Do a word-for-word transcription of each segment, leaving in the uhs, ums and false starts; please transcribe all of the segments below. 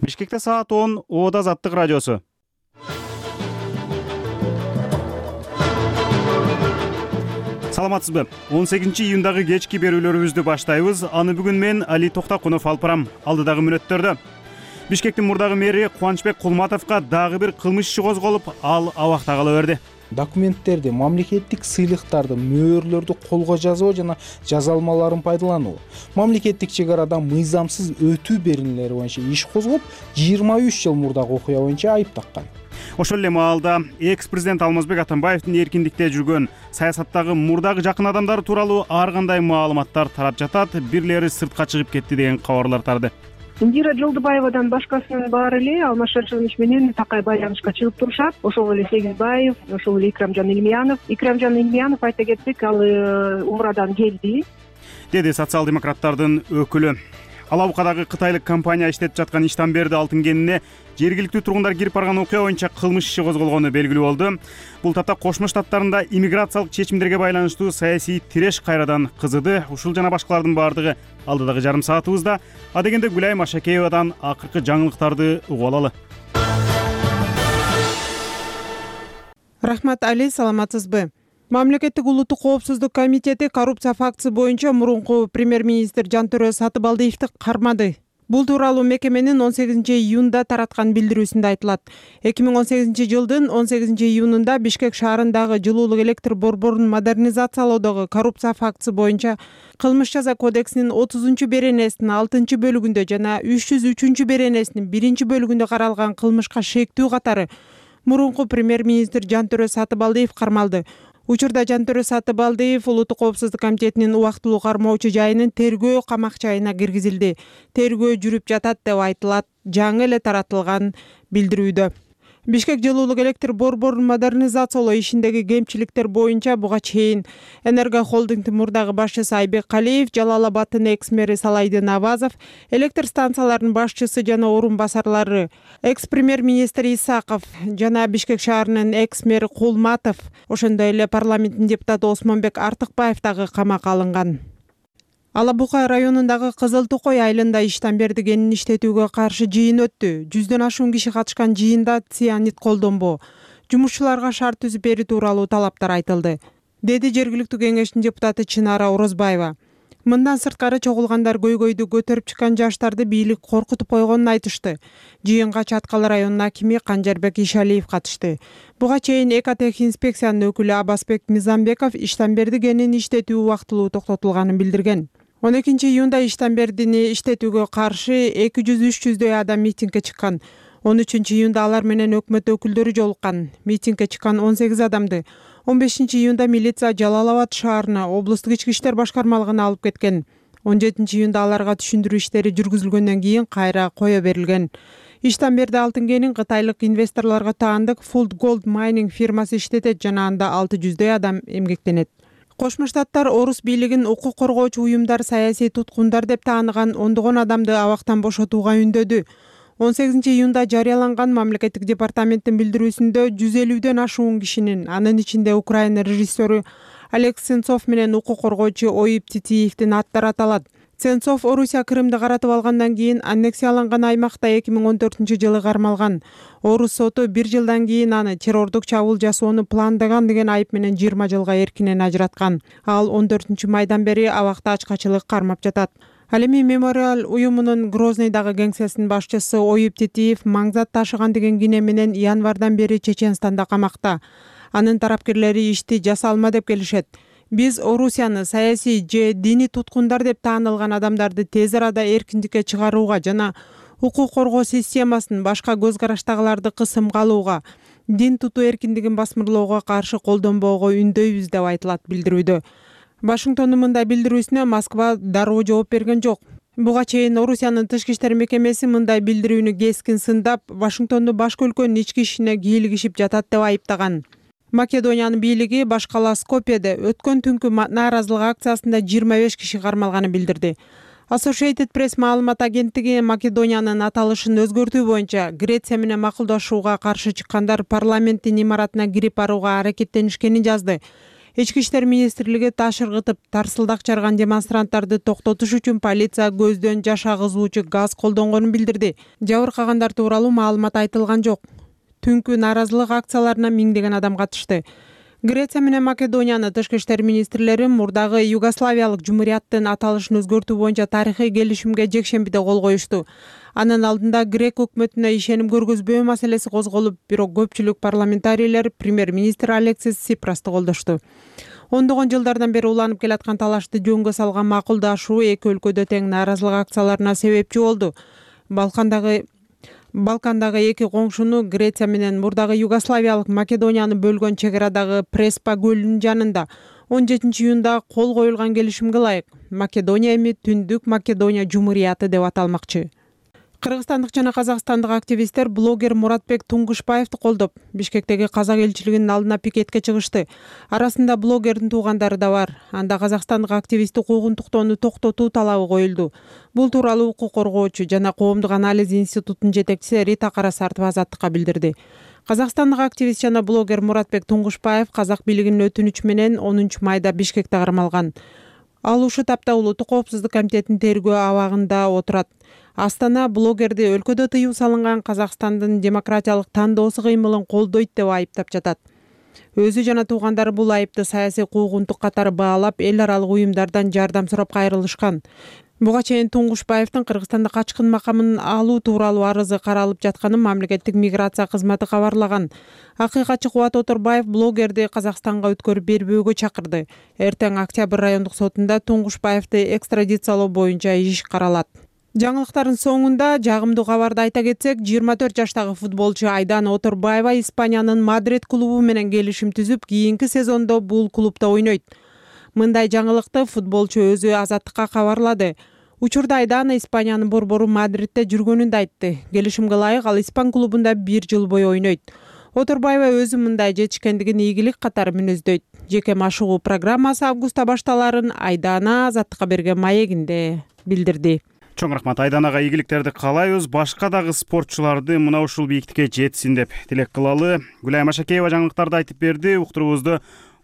Бишкекте саат он, Ода Азаттык радиосу. Саламатсызбы? он сегизинчи июндагы кечки берүүлөрүбүздү баштайбыз. Аны бүгүн мен Али Токтакунов алып барам. Алдыдагы мүнөттөрдө Бишкектин мурдагы мэри Кубанычбек Кулматовго дагы бир кылмыш иши козголуп, ал абакта кала берди. Документтерди, мамлекеттик сыйлыктарды, мөөрлөрдү колго жазуу жана жазалмаларын пайдалануу, мамлекеттик чек арадан мыйзамсыз өтүү берүүлөрү боюнча иш козгоп, жыйырма үч жыл мурдагы окуя боюнча айып таккан. Ошол эле маалда экс-президент Алмазбек Атамбаевдин эркиндикте жүргөн саясаттагы мурдагы жакын адамдары тууралуу ар кандай маалыматтар тарап жатат, бирлери сыртка чыгып кетти деген кабарлар тарды. Индира Жолдубаевадан башкасынын баары эле Алмаз Шаршенович менен такай байланышка чыгып турушат. Ошол эле Сегизбаев, ошол эле Икрамжан Илмиянов. Икрамжан Илмиянов айта кетсек, ал Умрадан келди, деди социал-демократтардын өкүлү. Алабукадагы кытайлык компания иштетип жаткан Иштанберди алтын кенине жергиликтүү тургундар кирип барган окуя боюнча кылмыш иши козголгону белгилүү болду. Бул тапта Кошмо Штаттарында иммиграциялык чечимдерге байланыштуу саясий тиреш кайрадан кызыды. Ушул жана башкалардын баардыгы алдыдагы жарым саатыбызда. Адегенде Гүлайым Ашакеевадан акыркы жаңылыктарды угуп алалы. Рахмат, Али, саламатсызбы? Мамлекеттик улуттук коопсуздук комитети коррупция фактысы боюнча мурунку премьер-министр Жантөрө Сатыбалдиевди кармады. Бул тууралуу мекеменин он сегизинчи июнда тараткан билдирүүсүндө айтылат. эки миң он сегизинчи жылдын он сегизинчи июнунда Бишкек шаарындагы жылуулук электр борборун модернизациялоодогу коррупция фактысы боюнча Кылмыш жаза кодексинин отузунчу беренесинин алтынчы бөлүгүндө жана үч жүз үчүнчү беренесинин биринчи бөлүгүндө каралган кылмышка шектүү катары мурунку премьер-министр Жантөрө Сатыбалдиев кармалды. Учурда Жантөрө Сатыбалдиев Улуттук коопсуздук комитетинин убактылуу кармоочу жайынын тергөө камак жайына киргизилди. Тергөө жүрүп жатат деп айтылат жаңы эле таратылган билдирүүдө. Бишкек жылуулук электр борборун модернизациялоо ишиндеги кемчиликтер боюнча буга чейин Энерго холдингдин мурдагы башчысы Айбек Калиев, Жалал Абадтын экс-мэри Салайдын Авазов, электр станцияларынын башчысы жана орун басарлары экс-премьер-министр Исаков жана Бишкек шаарынын экс-мэри Кулматов, ошондой эле парламенттин депутаты Осмонбек Артыкбаев дагы камакка алынган. Алабука районундагы Кызыл Токой айылында Иштанберди кенин иштетүүгө каршы жыйын өттү. Жүздөн ашуун киши катышкан жыйында цианид колдонбоо, жумушчуларга шарт түзүп берүү тууралуу талаптар айтылды, деди жергиликтүү кеңештин депутаты Чынара Орозбаева. Мындан сырткары чогулгандар көйгөйдү көтөрүп чыккан жаштарды бийлик коркутуп койгонун айтышты. Жыйынга Чаткал районунун акими Канжарбек Ишалиев катышты. Буга чейин Экотех инспекциянын өкүлү Абасбек Мизамбеков Иштанберди кенин иштетүү убактылуу токтотулганын билдирген. он экинчи июнда Иштанбердини иштетүүгө каршы эки жүз үч жүздөй адам митингге чыккан. он үчүнчү июнда алар менен өкмөт өкүлдөрү жолуккан. Митингге чыккан он сегиз адамды он бешинчи июнда милиция Жалал Абад шаарына облустук ички иштер башкармалыгына алып кеткен. он жетинчи июнда аларга түшүндүрүү иштери жүргүзүлгөндөн кийин кайра кое берилген. Иштанберди алтын кенин кытайлык инвесторлорго таандык Food Gold Mining фирмасы иштетет жана анда алты жүздөй адам эмгектенет. Кошмо Штаттар орус бийлигин укук коргоочу уюмдар саясий туткундар деп тааныган ондогон адамды абактан бошотууга үндөдү. он сегизинчи июнда жарыяланган мамлекеттик департаменттин билдирүүсүндө жүз элүүдөн ашуун кишинин, анын ичинде Украина режиссеру Олег Сенцов менен укук коргоочу Оюп Титиевдин аттары аталат. Сенцов Орусия Крымды каратып алгандан кийин аннексияланган аймакта эки миң он төртүнчү жылы кармалган. Орус соту бир жылдан кийин аны террордук чабуул жасоону пландаган деген айып менен жыйырма жылга эркинен ажыраткан. Ал он төртүнчү майдан бери абакта ачкачылык кармап жатат. Ал эми Мемориал уюмунун Грознойдагы кеңсесинин башчысы Оюп Титиев маңзат ташыган деген кине менен январдан бери Чеченстанда камакта. Анын тарапкерлери ишти жасалма деп келишет. Биз Орусияны саясий же диний туткундар деп таанылган адамдарды тез арада эркиндикке чыгарууга жана укук коргоо системасын башка көз караштагыларды кысымга алууга, дин тутуу эркиндигин басмырлоого каршы колдонбоого үндөйбүз деп айтылат билдирүүдө. Вашингтондун мындай билдирүүсүнө Москва дароо жооп берген жок. Буга чейин Орусиянын тышкы иштер мекемеси мындай билдирүүнү кескин сындап, Вашингтонду башка өлкөнүн ички ишине кийлигишип жатат деп айыптаган. Македониянын бийлиги баш кала Скопьеде өткөн түнкү нааразылык акциясында жыйырма беш киши кармалганын билдирди. Associated Press маалымат агенттиги Македониянын аталышын өзгөртүү боюнча Греция менен макулдашууга каршы чыккандар парламенттин имаратына кирип барууга аракеттенишкенин жазды. Ички иштер министрлиги таш ыргытып тарсылдак чарган демонстранттарды токтотуш үчүн полиция көздөн жаш агызуучу газ колдонгонун билдирди. Жабыркагандар тууралуу маалымат айтылган жок. Түнкү нааразылык акцияларына миңдеген адам катышты. Греция менен Македониянын тышкы иштер министрлери мурдагы Югославиялык жумурияттын аталышын өзгөртүү боюнча тарыхый келишимге жекшембиде кол коюшту. Анын алдында грек өкмөтүнө ишеним көргөзбөө маселеси козголуп, бирок көпчүлүк парламентарийлер премьер-министр Алексис Сипрасты колдошту. Ондогон жылдардан бери уланып келаткан талашты жөнгө салган макулдашуу эки өлкөдө тең нааразылык акцияларына себепчи болду. Балкандагы Балкандагы эки коңшуну Греция менен мурдагы Югославиялык Македонияны бөлгөн чек арадагы Преспа көлүнүн жанында он жетинчи июнда кол коюлган келишимге ылайык Македония эми Түндүк Македония Жумурияты деп аталмакчы. Кыргызстандык жана казакстандык активисттер блогер Муратбек Туңгушбаевди колдоп, Бишкектеги казак элчилигинин алдына пикетке чыгышты. Арасында блогердин туугандары да бар. Анда казакстандык активистти куугунтуктоону токтотуу талабы коюлду. Бул тууралуу укук коргоочу жана коомдук анализ институтунун жетекчиси Рита Карасартова Азаттыкка билдирди. Казакстандык активист жана блогер Муратбек Туңгушбаев казак бийлигинин өтүнүчү менен онунчу майда Бишкекте кармалган. Ал ушул тапта Улуттук коопсуздук комитетинин тергөө абагында отурат. Астана блогерди өлкөдө тыюу салынган Казакстандын демократиялык тандоосу кыймылын колдойт деп айыптап жатат. Өзү жана туугандары бул айыпты саясий куугунтук катары баалап, эл аралык уюмдардан жардам сурап кайрылышкан. Буга чейин Туңгушбаевдин Кыргызстанда качкын макамын алуу тууралуу арызы каралып жатканын мамлекеттик миграция кызматы кабарлаган. Акыйкатчы Кубат Оторбаев блогерди Казакстанга өткөрүп бербөөгө чакырды. Эртең Октябрь райондук сотунда Туңгушбаевди экстрадициялоо боюнча иш каралат. Жаңылыктардын соңунда жагымдуу кабарды айта кетсек, жыйырма төрт жаштагы футболчу Айдана Оторбаева Испаниянын Мадрид клубу менен келишим түзүп, кийинки сезондо бул клубда ойнойт. Мындай жаңылыкты футболчу өзү Азаттыкка кабарлады. Учурда Айдана Испаниянын борбору Мадридте жүргөнүн да айтты. Келишимге ылайык ал Испан клубунда бир жыл бою ойнойт. Оторбаева өзү мындай жетишкендигин ийгилик катары мүнөздөйт. Жеке машыгуу программасы августта башталарын Айдана Азаттыкка берген маегинде билдирди. Чоң рахмат. Айданага ийгиликтерди каалайбыз. Башка дагы спортчуларды мына ушул бийиктикке жетсин деп тилек кылалы. Гүлай Машакеева жаңылыктарды айтып берди. Уктуруубузду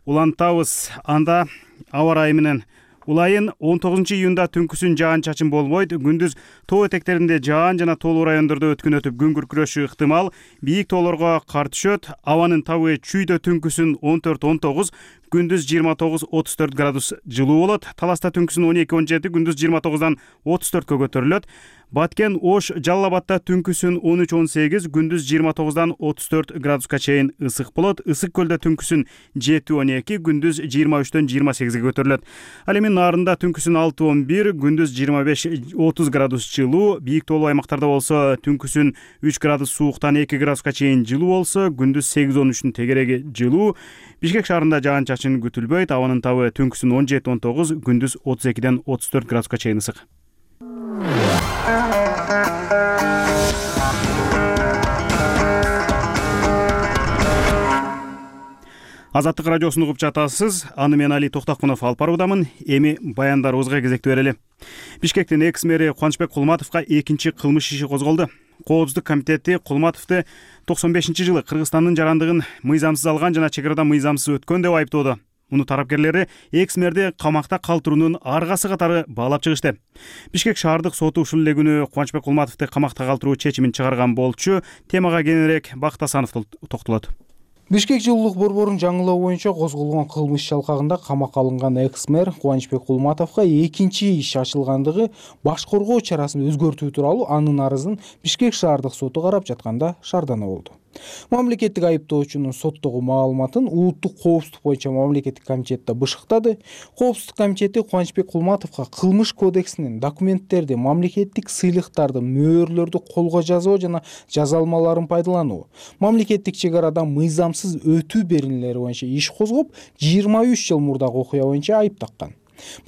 улантабыз. Анда аба ырайы менен улайын он тогузунчу июнда түнкүсүн жаан-чачын болбойт. Күндүз тоо этектеринде жаан жана тоолуу райондордо өткөн өтүп күн күркүрөшү ыктымал. Бийик тоолорго кар түшөт. Абанын табы чүйдө түнкүсүн он төрт он тогуз, күндүз жыйырма тогуз отуз төрт градус жылуу болот. Таласта түнкүсүн он эки он жети, күндүз жыйырма тогуздан отуз төрткө көтөрүлөт. Баткен, Ош, Жалал Абадта түнкүсүн он үч он сегиз, күндүз жыйырма тогуздан отуз төрт градуска чейин ысык болот. Ысык көлдө түнкүсүн жети он эки, күндүз жыйырма үчтөн жыйырма сегизге көтөрүлөт. Ал эми Нарында түнкүсүн алты он бир, күндүз жыйырма беш отуз градус жылуу. Бийик тоолуу аймактарда болсо түнкүсүн үч градус сууктан эки градуска чейин жылуу болсо, күндүз сегиз он үчтүн тегереги жылуу. Бишкек шаарында жаан-чачын күтүлбөйт. Абанын табы түнкүсүн он жети он тогуз, күндүз отуз экиден отуз төрт градуска чейин ысык. Азаттык радиосун угуп жатасыз. Аны мен Али Токтокунов алып баруудамын. Эми баяндарыбызга кезекти берели. Бишкектин экс-мэри Кубанычбек Кулматовго экинчи кылмыш иши козголду. Коопсуздук комитети Кулматовду токсон бешинчи жылы Кыргызстандын жарандыгын мыйзамсыз алган жана чек арада мыйзамсыз өткөн деп айыптоодо. Муну тарапкерлери экс-мэрди камакта калтыруунун аргасы катары баалап чыгышты. Бишкек шаардык соту ушул эле күнү Кубанычбек Кулматовду камакта калтыруу чечимин чыгарган болчу. Темага кененирээк Бакыт Асанов токтолот. Бишкек жылуулук борборун жаңылоо боюнча козголгон кылмыш чалкагында камакка алынган экс-мэр Кубанычбек Кулматовго экинчи иш ачылгандыгы баш коргоо чарасын өзгөртүү тууралуу анын арызын Бишкек шаардык соту карап жатканда шаардана болду. Мамлекеттик айыптоочунун соттогу маалыматын Улуттук коопсуздук боюнча мамлекеттик комитетте бышыктады. Коопсуздук комитети Кубанычбек Кулматовго кылмыш кодексинин документтерди, мамлекеттик сыйлыктарды, мөөрлөрдү колго жазуу жана жаза алмаларын пайдалануу, мамлекеттик чек арадан мыйзамсыз өтүү беренелери боюнча иш козгоп, жыйырма үч жыл мурдагы окуя боюнча айып таккан.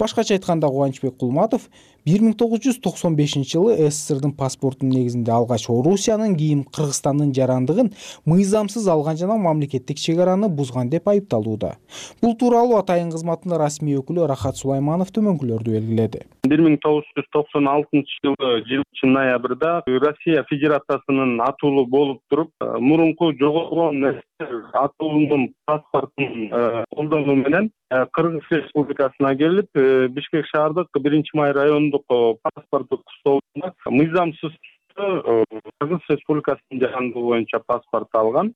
Башкача айтканда, Кубанычбек Кулматов бир миң тогуз жүз токсон бешинчи жылы СССРдин паспортунун негизинде алгач Орусиянын, кийин Кыргызстандын жарандыгын мыйзамсыз алган жана мамлекеттик чек араны бузган деп айыпталууда. Бул тууралуу Атайын кызматынын расмий өкүлү Рахат Сулайманов төмөнкүлөрдү белгиледи. бир миң тогуз жүз токсон алтынчы жылы жылчы ноябрда Россия Федерациясынын атуулу болуп туруп, мурунку жогоргон атуулунун паспортун колдонуу менен Кыргыз Республикасына келип, Бишкек шаардык биринчи май райондук паспорттук столуна мыйзамсыз Кыргыз Республикасынын жарандыгы боюнча паспорт алган.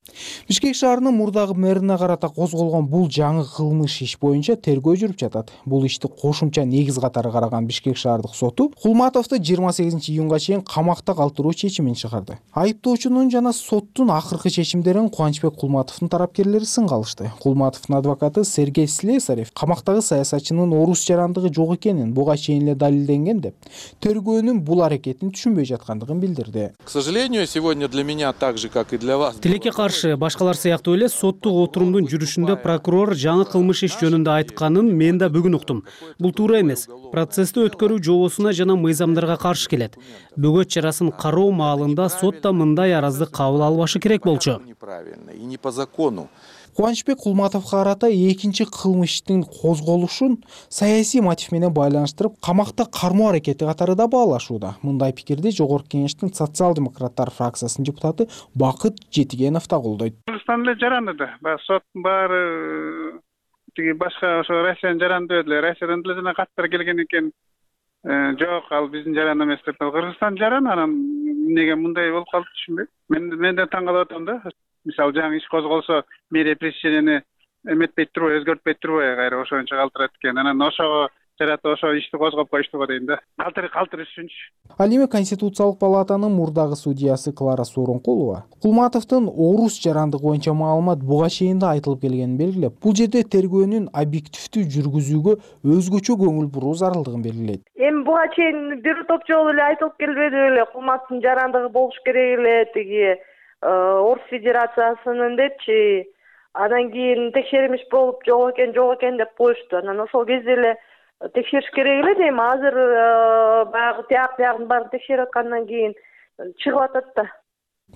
Бишкек шаарынын мурдагы мэрине карата козголгон бул жаңы кылмыш иш боюнча тергөө жүрүп жатат. Бул ишти кошумча негиз катары караган Бишкек шаардык соту Кулматовду жыйырма сегизинчи июнга чейин камакта калтыруу чечимин чыгарды. Айыптоочунун жана соттун акыркы чечимдерин Кубанычбек Кулматовдун тарапкерлери сынга алышты. Кулматовдун адвокаты Сергей Слесарев камактагы саясатчынын орус жарандыгы жок экенин буга чейин эле далилденген деп, тергөөнүн бул аракетин түшүнбөй жаткандыгын билдирди. К сожалению, сегодня для меня так же, как и для вас. Тилекке каршы башкалар сыяктуу эле соттук отурумдун жүрүшүндө прокурор жаңы кылмыш иш жөнүндө айтканын мен да бүгүн уктум. Бул туура эмес. Процессти өткөрүү жобосуна жана мыйзамдарга каршы келет. Бөгөт чарасын кароо маалында сот да мындай аразды кабыл албашы керек болчу. Неправильно и не по закону. Кубанычбек Кулматовго карата экинчи кылмыштын козголушун саясий мотив менен байланыштырып, камакта кармоо аракети катары да баалашууда. Мындай пикирди Жогорку Кеңештин социал-демократтар фракциясынын депутаты Бакыт Жетигенов да колдойт. Кыргызстан эле жаранды да. Соттун баары тиги башка ошо Россиянын жаранды эле, Россиядан деле жана каттар келген экен. Жок, ал биздин жаран эмес деп. Кыргызстан жаран, анан эмнеге мындай болуп калды түшүнбөйм. Мен мен да таң калып атам да. Мисалы жаңы иш козголсо, мэрия пресеченияны эметпей турбай, өзгөртпөй турбай кайра ошончо калтырат экен. Анан ошого жарата ошо ишти козгоп коюшту го дейм да. Калтыр калтырыш үчүнчү. Ал эми Конституциялык палатанын мурдагы судьясы Клара Сооронкулова Кулматовдун орус жарандыгы боюнча маалымат буга чейин да айтылып келгенин белгилеп, бул жерде тергөөнүн объективдүү жүргүзүүгө өзгөчө көңүл буруу зарылдыгын белгилейт. Эми буга чейин бир топ жолу эле айтылып келбеди беле, Кулматовдун жарандыгы болуш керек эле, тиги Орус Федерациясынын депчи, анан кийин текшерилиш болуп жок экен, жок экен деп коюшту. Анан ошол кезде эле текшериш керек эле дейм. Азыр баягы тияк биягын баарын текшерип аткандан кийин чыгып атат да.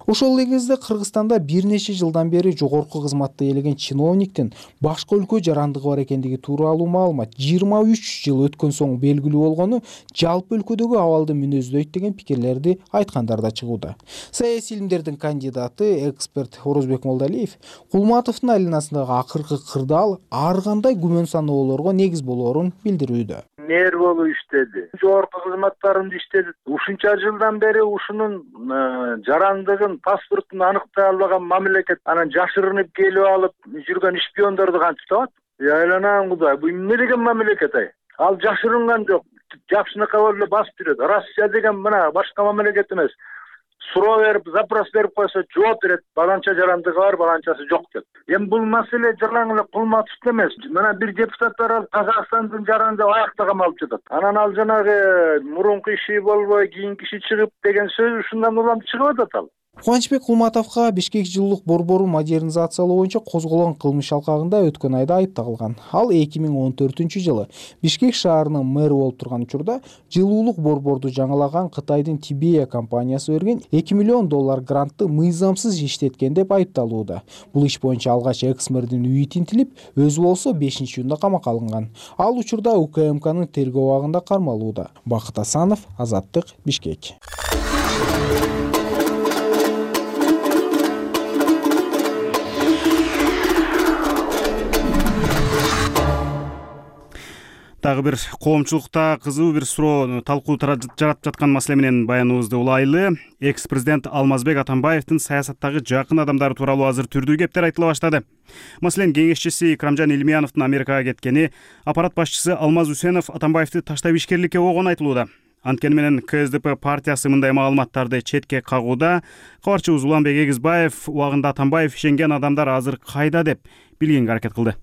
Ошол эле кезде Кыргызстанда бир нече жылдан бери жогорку кызматта ээлеген чиновниктин башка өлкө жарандыгы бар экендиги тууралуу маалымат жыйырма үч жыл өткөн соң белгилүү болгону жалпы өлкөдөгү абалды мүнөздөйт деген пикирлерди айткандар да чыгууда. Саясий илимдердин кандидаты, эксперт Орозбек Молдалиев Кулматовдун айланасындагы акыркы кырдаал ар кандай күмөн саноолорго негиз болоорун билдирүүдө. Мэр болуп иштеди, жогорку кызматтарында иштеди. Ушунча жылдан бери ушунун жарандыгын, паспортун аныктай албаган мамлекет анан жашырынып келип алып жүргөн шпиондорду кантип табат? Айланам Кудай, бул эмне деген мамлекет ай? Ал жашырынган жок, жакшынакай болуп эле басып жүрөт. Россия деген мына башка мамлекет эмес. Суроо берип, запрос берип койсо жооп берет. Баланча жарандыгы бар, баланчасы жок деп. Эми бул маселе жалаң эле Кулматовдо эмес. Мына бир депутаттар алып Казакстандын жаранды аякта камалып жатат. Анан ал жанагы мурунку иши болбой, кийинки иши чыгып деген сөз ушундан улам чыгып атат ал. Кубанычбек Кулматовго Бишкек жылуулук борбору модернизациялоо боюнча козголгон кылмыш алкагында өткөн айда айып тагылган. Ал эки миң он төртүнчү жылы Бишкек шаарынын мэрі болуп турган учурда жылуулук борборду жаңылаган Кытайдын Тибея компаниясы берген эки миллион доллар грантты мыйзамсыз иштеткен деп айыпталууда. Бул иш боюнча алгач экс-мэрдин үйү тинтилип, өзү болсо бешинчи июнда камакка алынган. Ал учурда УКМКнын тергөө абагында кармалууда. Бакыт Асанов, Азаттык, Бишкек. Дагы бир коомчулукта кызуу бир суроо талкуу жаратып жаткан маселе менен баяныбызды улайлы. Экс-президент Алмазбек Атамбаевдин саясаттагы жакын адамдары тууралуу азыр түрдүү кептер айтыла баштады. Маселен, кеңешчиси Икрамжан Илмияновдун Америкага кеткени, аппарат башчысы Алмаз Үсенов Атамбаевди таштап ишкерликке болгону айтылууда. Анткени менен КСДП партиясы мындай маалыматтарды четке кагууда. Кабарчыбыз Уланбек Эгизбаев убагында Атамбаев ишенген адамдар азыр кайда деп билгенге аракет кылды.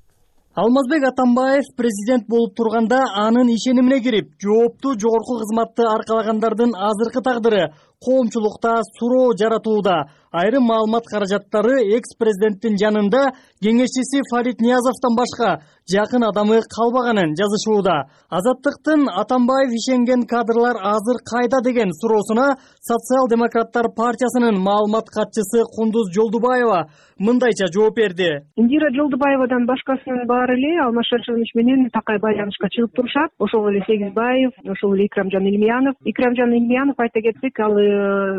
Алмазбек Атамбаев президент болуп турганда анын ишенимине кирип, жооптуу жогорку кызматты аркалагандардын азыркы тагдыры коомчулукта суроо жаратууда. Айрым маалымат каражаттары экс-президенттин жанында кеңешчиси Фарид Ниязовдон башка жакын адамы калбаганын жазышууда. Азаттыктын Атамбаев ишенген кадрлар азыр кайда деген суроосуна Социал-демократтар партиясынын маалымат катчысы Кундуз Жолдубаева мындайча жооп берди. Индира Жолдубаевадан башкасынын баары эле Алмаз Шаршенович менен такай байланышка чыгып турушат. Ошол эле Сегизбаев, ошол эле Икрамжан Илмиянов. Икрамжан Илмиянов айта кетсек, ал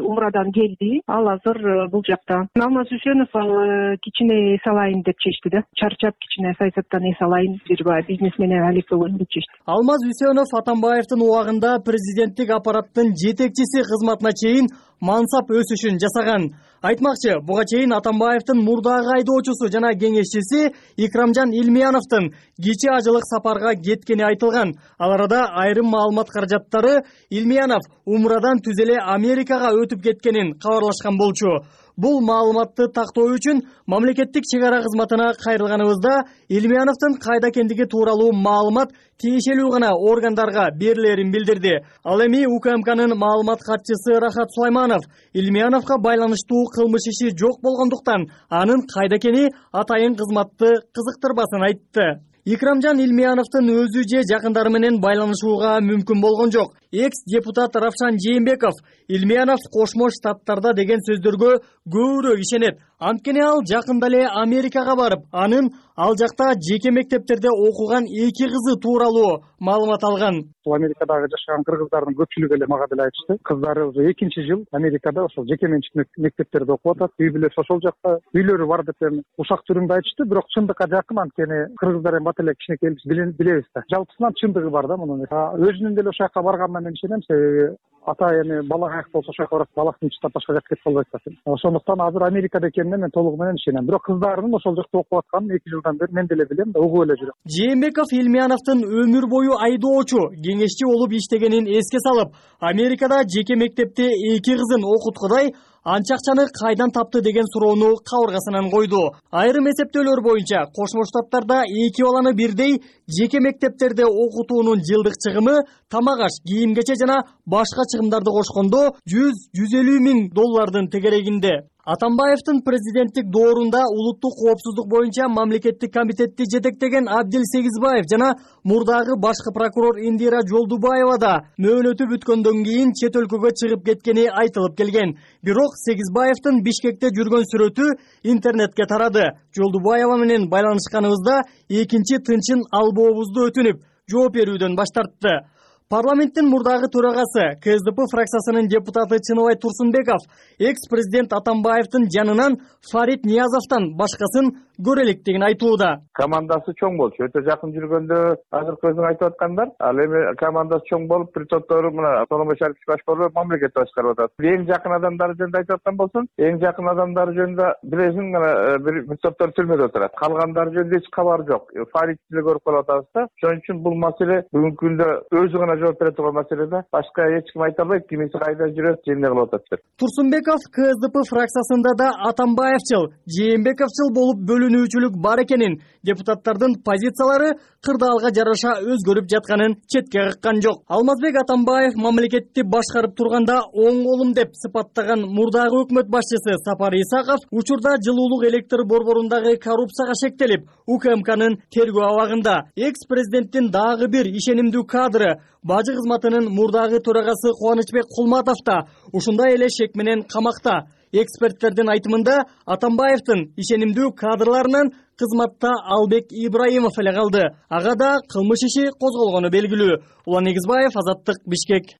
умрадан келди. Ал азыр бул жакта. Алмаз Үсөнов ал кичине эс алайын деп чечти да. Чарчап кичине саясаттан эс алайын, бир бизнес менен алектөгөн деп чечти. Алмаз Үсөнов Атамбаевдин убагында президенттик аппараттын жетекчиси кызматына чейин мансап өсүшүн жасаган. Айтмакчы, буга чейин Атамбаевдин мурдагы айдоочусу жана кеңешчиси Икрамжан Илмияновдун кичи ажылык сапарга кеткени айтылган. Ал арада айрым маалымат каражаттары Илмиянов умрадан түз эле Америкага өтүп кеткенин кабарлашкан болчу. Бул маалыматты тактоо үчүн мамлекеттик чек ара кызматына кайрылганыбызда Илмияновдун кайда экендиги тууралуу маалымат тиешелүү гана органдарга берилерин билдирди. Ал эми УКМКнын маалымат катчысы Рахат Сулайманов Илмияновго байланыштуу кылмыш иши жок болгондуктан анын кайда экени атайын кызматты кызыктырбасын айтты. Икрамжан Илмияновдун өзү же жакындары менен байланышууга мүмкүн болгон жок. Экс-депутат Равшан Жээнбеков Илмиянов Кошмо Штаттарда деген сөздөргө көбүрөөк ишенет. Анткени ал жакында эле Америкага барып, анын ал жакта жеке мектептерде окуган эки кызы тууралуу маалымат алган. Америкадагы жашаган кыргыздардын көпчүлүгү эле мага деле айтышты. Кыздары уже экинчи жыл Америкада ошол жеке менчик мектептерде окуп атат. Үй бүлөсү ошол жакта, үйлөрү бар деп ушак түрүндө айтышты, бирок чындыкка жакын, анткени кыргыздар эми бат эле кичинекей билебиз да. Жалпысынан чындыгы бар да мунун. Өзүнүн деле ошол жака барганына мен ишенем, себеби ата эми бала каяк болсо ошол жака барат, баласын тынчтап башка жакка кетип калбайт да. Ошондуктан азыр Америкада экенине мен толугу менен ишенем. Бирок кыздарынын ошол жакта окуп атканын эки жылдан бери мен деле билем да, угуп эле жүрөм. Жээнбеков Илмияновдун өмүр бою айдоочу, кеңешчи болуп иштегенин эске салып, Америкада жеке мектепте эки кызын окуткудай анча акчаны кайдан тапты деген суроону кабыргасынан койду. Айрым эсептөөлөр боюнча Кошмо Штаттарда эки баланы бирдей жеке мектептерде окутуунун жылдык чыгымы тамак аш, кийим кече жана башка чыгымдарды кошкондо жүз жүз элүү миң доллардын тегерегинде. Атамбаевдин президенттик доорунда улуттук коопсуздук боюнча мамлекеттик комитетти жетектеген Абдил Сегизбаев жана мурдагы башкы прокурор Индира Жолдубаева да мөөнөтү бүткөндөн кийин чет өлкөгө чыгып кеткени айтылып келген. Бирок Сегизбаевдин Бишкекте жүргөн сүрөтү интернетке тарады. Жолдубаева менен байланышканыбызда экинчи тынчын албообузду өтүнүп, жооп берүүдөн баш тартты. Парламенттин мурдагы төрагасы КСДП фракциясынын депутаты Чыныбай Турсунбеков экс-президент Атамбаевдин жанынан Фарид Ниязовдон башкасын көрө электигин айтууда. Командасы чоң болчу, өтө жакын жүргөндө азыркы өзүң айтып аткандар. Ал эми командасы чоң болуп, бир топтору мына Сооронбай Шарипович башкарып, мамлекет башкарып атат. Эң жакын адамдары жөнүндө айтып аткан болсун, эң жакын адамдары жөнүндө билесиң, мына бир топтор түрмөдө отурат. Калгандары жөнүндө эч кабар жок. Фаридти деле көрүп калып атабыз да. Ошон үчүн бул маселе бүгүнкү күндө өзү гана жооп бере турган маселе да. Башка эч ким айта албайт, кимиси кайда жүрөт, эмне кылып атат деп. Турсунбеков КСДП фракциясында да Атамбаевчыл, Жээнбековчыл болуп бөлүнүүчүлүк бар экенин, депутаттардын позициялары кырдаалга жараша өзгөрүп жатканын четке каккан жок. Алмазбек Атамбаев мамлекетти башкарып турганда оң колум деп сыпаттаган мурдагы өкмөт башчысы Сапар Исаков учурда жылуулук электр борборундагы коррупцияга шектелип, УКМКнын тергөө абагында. Экс-президенттин дагы бир ишенимдүү кадры бажы кызматынын мурдагы төрагасы Кубанычбек Кулматов да ушундай эле шек менен камакта. Эксперттердин айтымында Атамбаевдин ишенимдүү кадрларынан кызматта Албек Ибраимов эле калды. Ага да кылмыш иши козголгону белгилүү. Улан Негизбаев, Азаттык, Бишкек.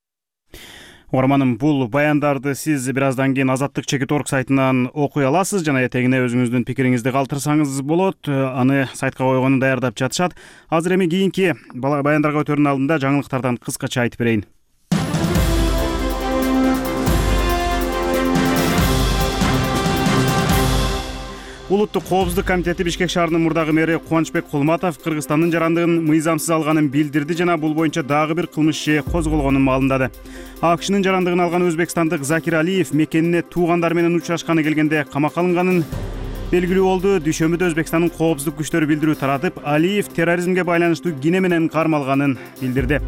Угарманым, бул баяндарды сиз бир аздан кийин Азаттык чекит орг сайтынан окуй аласыз жана этегине өзүңүздүн пикириңизди калтырсаңыз болот. Аны сайтка койгону даярдап жатышат. Азыр эми кийинки баяндарга өтөрүнүн алдында жаңылыктардан кыскача айтып берейин. Улуттук коопсуздук комитети Бишкек шаарынын мурдагы мэри Кубанычбек Кулматов Кыргызстандын жарандыгын мыйзамсыз алганын билдирди жана бул боюнча дагы бир кылмыш иши козголгонун маалымдады. АКШнын жарандыгын алган өзбекстандык Закир Алиев мекенине туугандары менен учурашканы келгенде камакка алынганын белгилүү болду. Дүйшөмбүдө Өзбекстандын коопсуздук күчтөрү билдирүү таратып, Алиев терроризмге байланыштуу кине менен кармалганын билдирди.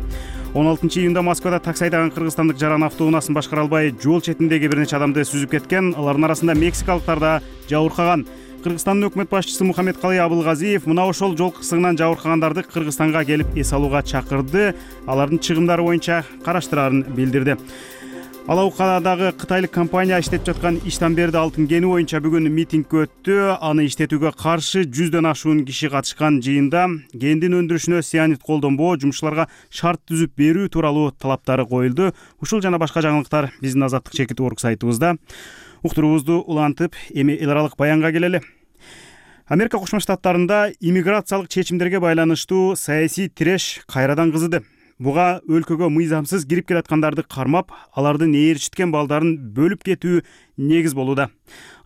он алтынчы июнда Москвада такси айдаган кыргызстандык жаран автоунаасын башкара албай жол четиндеги бир нече адамды сүзүп кеткен. Алардын арасында мексикалыктар да жабыркаган. Кыргызстандын өкмөт башчысы Мухаммедкалый Абылгазиев мына ошол жол кырсыгынан жабыркагандарды Кыргызстанга келип эс алууга чакырды. Алардын чыгымдары боюнча караштырарын билдирди. Алаукадагы кытайлык компания иштеп жаткан Иштанберди алтын кени боюнча бүгүн митинг өттү. Аны иштетүүгө каршы жүздөн ашуун киши катышкан жыйында кендин өндүрүшүнө сианид колдонбоо, жумушчуларга шарт түзүп берүү тууралуу талаптары коюлду. Ушул жана башка жаңылыктар биздин Азаттык чекит орг сайтыбызда. Уктуруубузду улантып, эми эл аралык баянга келели. Америка Кошмо Штаттарында иммиграциялык чечимдерге байланыштуу саясий тиреш кайрадан кызыды. Буга өлкөгө мыйзамсыз кирип келаткандарды кармап, алардын ээрчиткен балдарын бөлүп кетүү негиз болууда.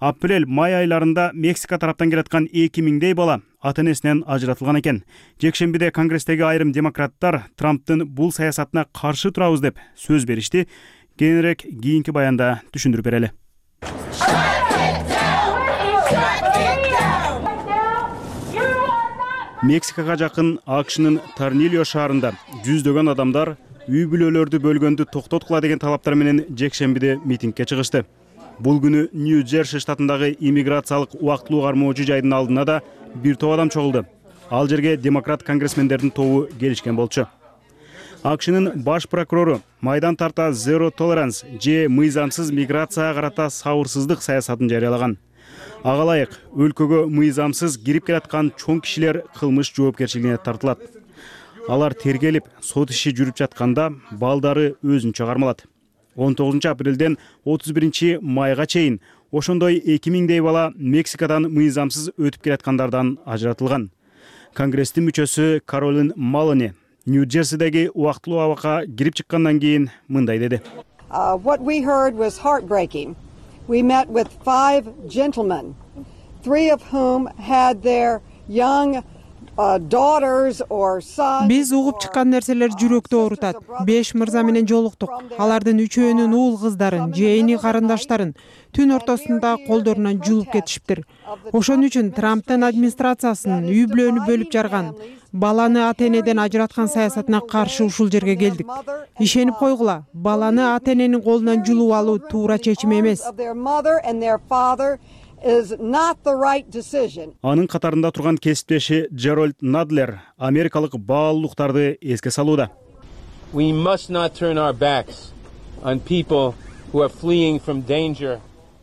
Апрель-май айларында Мексика тараптан келаткан эки миңдей бала ата-энесинен ажыратылган экен. Жекшембиде Конгресстеги айрым демократтар Трамптын бул саясатына каршы турабыз деп сөз беришти. Кийинирээк кийинки баянда түшүндүрүп берели. Мексикага жакын АКШнын Торнильо шаарында жүздөгөн адамдар үй бүлөлөрдү бөлгөндү токтоткула деген талаптар менен жекшембиде митингге чыгышты. Бул күнү Нью-Джерси штатындагы иммиграциялык убактылуу кармоочу жайдын алдына да бир топ адам чогулду. Ал жерге демократ конгрессмендердин тобу келишкен болчу. АКШнын баш прокурору майдан тарта Zero Tolerance же мыйзамсыз миграцияга карата сабырсыздык саясатын жарыялаган. Ага ылайык өлкөгө мыйзамсыз кирип келаткан чоң кишилер кылмыш жоопкерчилигине тартылат. Алар тергелип, сот иши жүрүп жатканда балдары өзүнчө кармалат. он тогузунчу апрелден отуз биринчи майга чейин ошондой эки миңдей бала Мексикадан мыйзамсыз өтүп келаткандардан ажыратылган. Конгресстин мүчөсү Каролин Малони Нью-Джерсидеги убактылуу абакка кирип чыккандан кийин мындай деди. What we heard was heartbreaking. We met with five gentlemen, three of whom had their young uh, daughters or sons. Биз угуп чыккан нерселер жүрөктү оорутат. Беш мырза менен жолуктук. Алардын үчөөнүн уул кыздарын, жээни карындаштарын түн ортосунда колдорунан жулуп кетишиптир. Ошон үчүн Трамптын администрациясынын үй бүлөнү бөлүп жарган, баланы ата-энеден ажыраткан саясатына каршы ушул жерге келдик. Ишенип койгула, баланы ата-эненин колунан жулуп алуу туура чечим эмес. Анын катарында турган кесиптеши Джеральд Надлер америкалык баалуулуктарды эске салууда. We must not turn our backs on people who are fleeing from danger.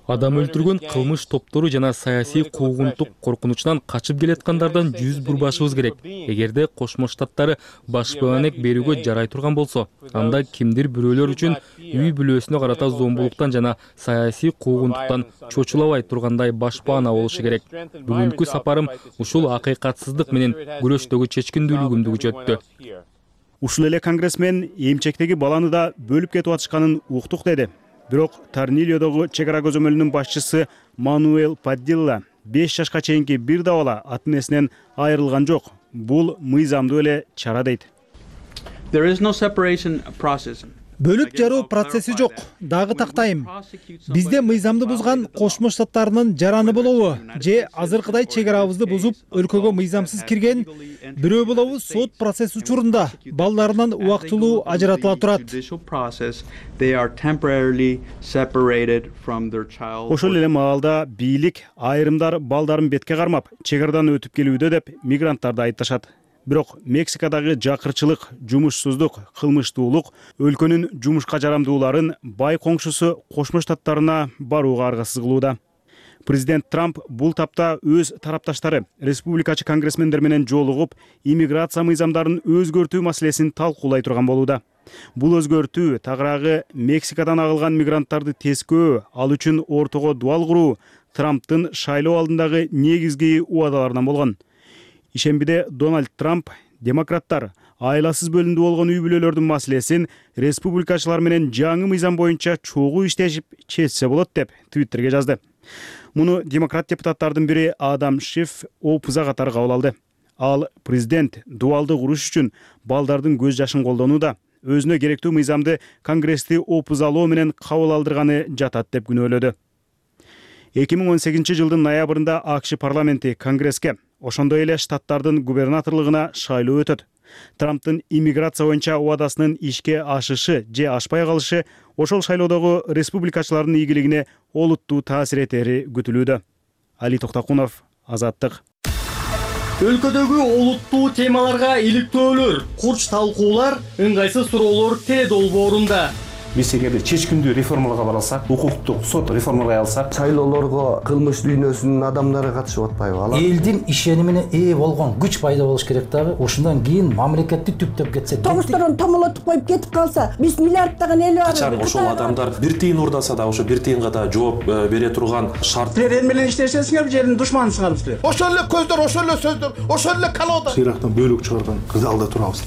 Адам өлтүргөн кылмыш топтору жана саясий куугунтук коркунучунан качып келаткандардан жүз бурбашыбыз керек. Эгерде Кошмо Штаттары башпаанек берүүгө жарай турган болсо, анда кимдир бирөөлөр үчүн үй бүлөсүнө карата зомбулуктан жана саясий куугунтуктан чочулабай тургандай башпаана болушу керек. Бүгүнкү сапарым ушул акыйкатсыздык менен күрөштөгү чечкиндүүлүгүмдү күчөттү. Ушул эле конгрессмен эмчектеги баланы да бөлүп кетип атышканын уктук деди. Бирок Торнильодогу чек ара көзөмөлүнүн башчысы Мануэл Падилла беш жашка чейинки бир да бала ата-энесинен айрылган жок. Бул мыйзамдуу эле чара дейт. Бөлүп жаруу процесси жок. Дагы тактайм. Бизде мыйзамды бузган Кошмо Штаттарынын жараны болобу же азыркыдай чек арабызды бузуп өлкөгө мыйзамсыз кирген бирөө болобу сот процесс учурунда балдарынан убактылуу ажыратыла турат. Ошол эле маалда бийлик айрымдар балдарын бетке кармап, чек арадан өтүп келүүдө деп мигранттарды айыпташат. Бирок Мексикадагы жакырчылык, жумушсуздук, кылмыштуулук өлкөнүн жумушка жарамдууларын бай коңшусу Кошмо Штаттарына барууга аргасыз кылууда. Президент Трамп бул тапта өз тарапташтары республикачы конгрессмендер менен жолугуп, иммиграция мыйзамдарын өзгөртүү маселесин талкуулай турган болууда. Бул өзгөртүү тагыраагы Мексикадан агылган мигранттарды тескөө, ал үчүн ортого дуал куруу Трамптын шайлоо алдындагы негизги убадаларынан болгон. Ишембиде Дональд Трамп демократтар айласыз бөлүндү болгон үй бүлөлөрдүн маселесин республикачылар менен жаңы мыйзам боюнча чогуу иштешип чечсе болот деп Твиттерге жазды. Муну демократ депутаттардын бири Адам Шиф опуза катары кабыл алды. Ал президент дуалды куруш үчүн балдардын көз жашын колдонууда, өзүнө керектүү мыйзамды Конгрессти опузалоо менен кабыл алдырганы жатат деп күнөөлөдү. эки миң он сегизинчи жылдын ноябрында АКШ парламенти Конгресске ошондой эле штаттардын губернаторлугуна шайлоо өтөт. Трамптын иммиграция боюнча убадасынын ишке ашышы же ашпай калышы ошол шайлоодогу республикачылардын ийгилигине олуттуу таасир этери күтүлүүдө. Али Токтокунов, Азаттык. Өлкөдөгү олуттуу темаларга иликтөөлөр, курч талкуулар, ыңгайсыз суроолор теледолбоорунда. Биз эгерде чечкиндүү реформаларга бара алсак, укуктук сот реформалай алсак, шайлоолорго кылмыш дүйнөсүнүн адамдары катышып атпайбы? Элдин ишенимине ээ болгон күч пайда болуш керек дагы. Ошондон кийин мамлекетти түптөп кетсе, тогушторун томолотуп коюп кетип калса, биз миллиарддаган эл бар. Качан ошол адамдар бир тыйын урдаса да, ошо бир тыйынга да жооп бере турган шарт. Силер эл менен иштешесиңер, жердин душманысыңар силер. Ошол эле көздөр, ошол эле сөздөр, ошол эле колода. Ирактан бөлүк чыгарган кызалда турабыз.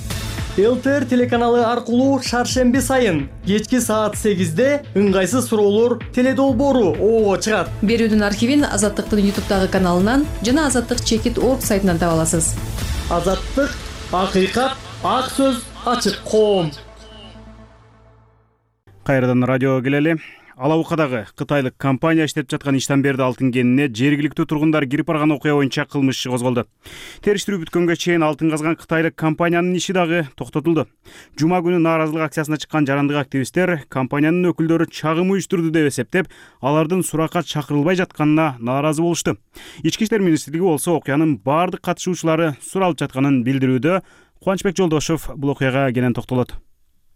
ЛТР телеканалы аркылуу шаршемби сайын кечки саат сегизде ыңгайсыз суроолор теледолбоору ого чыгат. Берүүдүн архивин Азаттыктын ютубтагы каналынан жана азаттык чекит точка орг сайтынан таба аласыз. Азаттык, акыйкат, ак сөз, ачык коом. Кайрадан радиого келели. Алабукадагы кытайлык компания иштеп жаткан Иштанберди алтын кенине жергиликтүү тургундар кирип барган окуя боюнча кылмыш иши козголду. Териштирүү бүткөнгө чейин алтын казган кытайлык компаниянын иши дагы токтотулду. Жума күнү нааразылык акциясына чыккан жарандык активисттер компаниянын өкүлдөрү чагым уюштурду деп эсептеп, алардын суракка чакырылбай жатканына нааразы болушту. Ички иштер министрлиги болсо окуянын баардык катышуучулары суралып жатканын билдирүүдө. Кубанычбек Жолдошов бул окуяга кенен токтолот.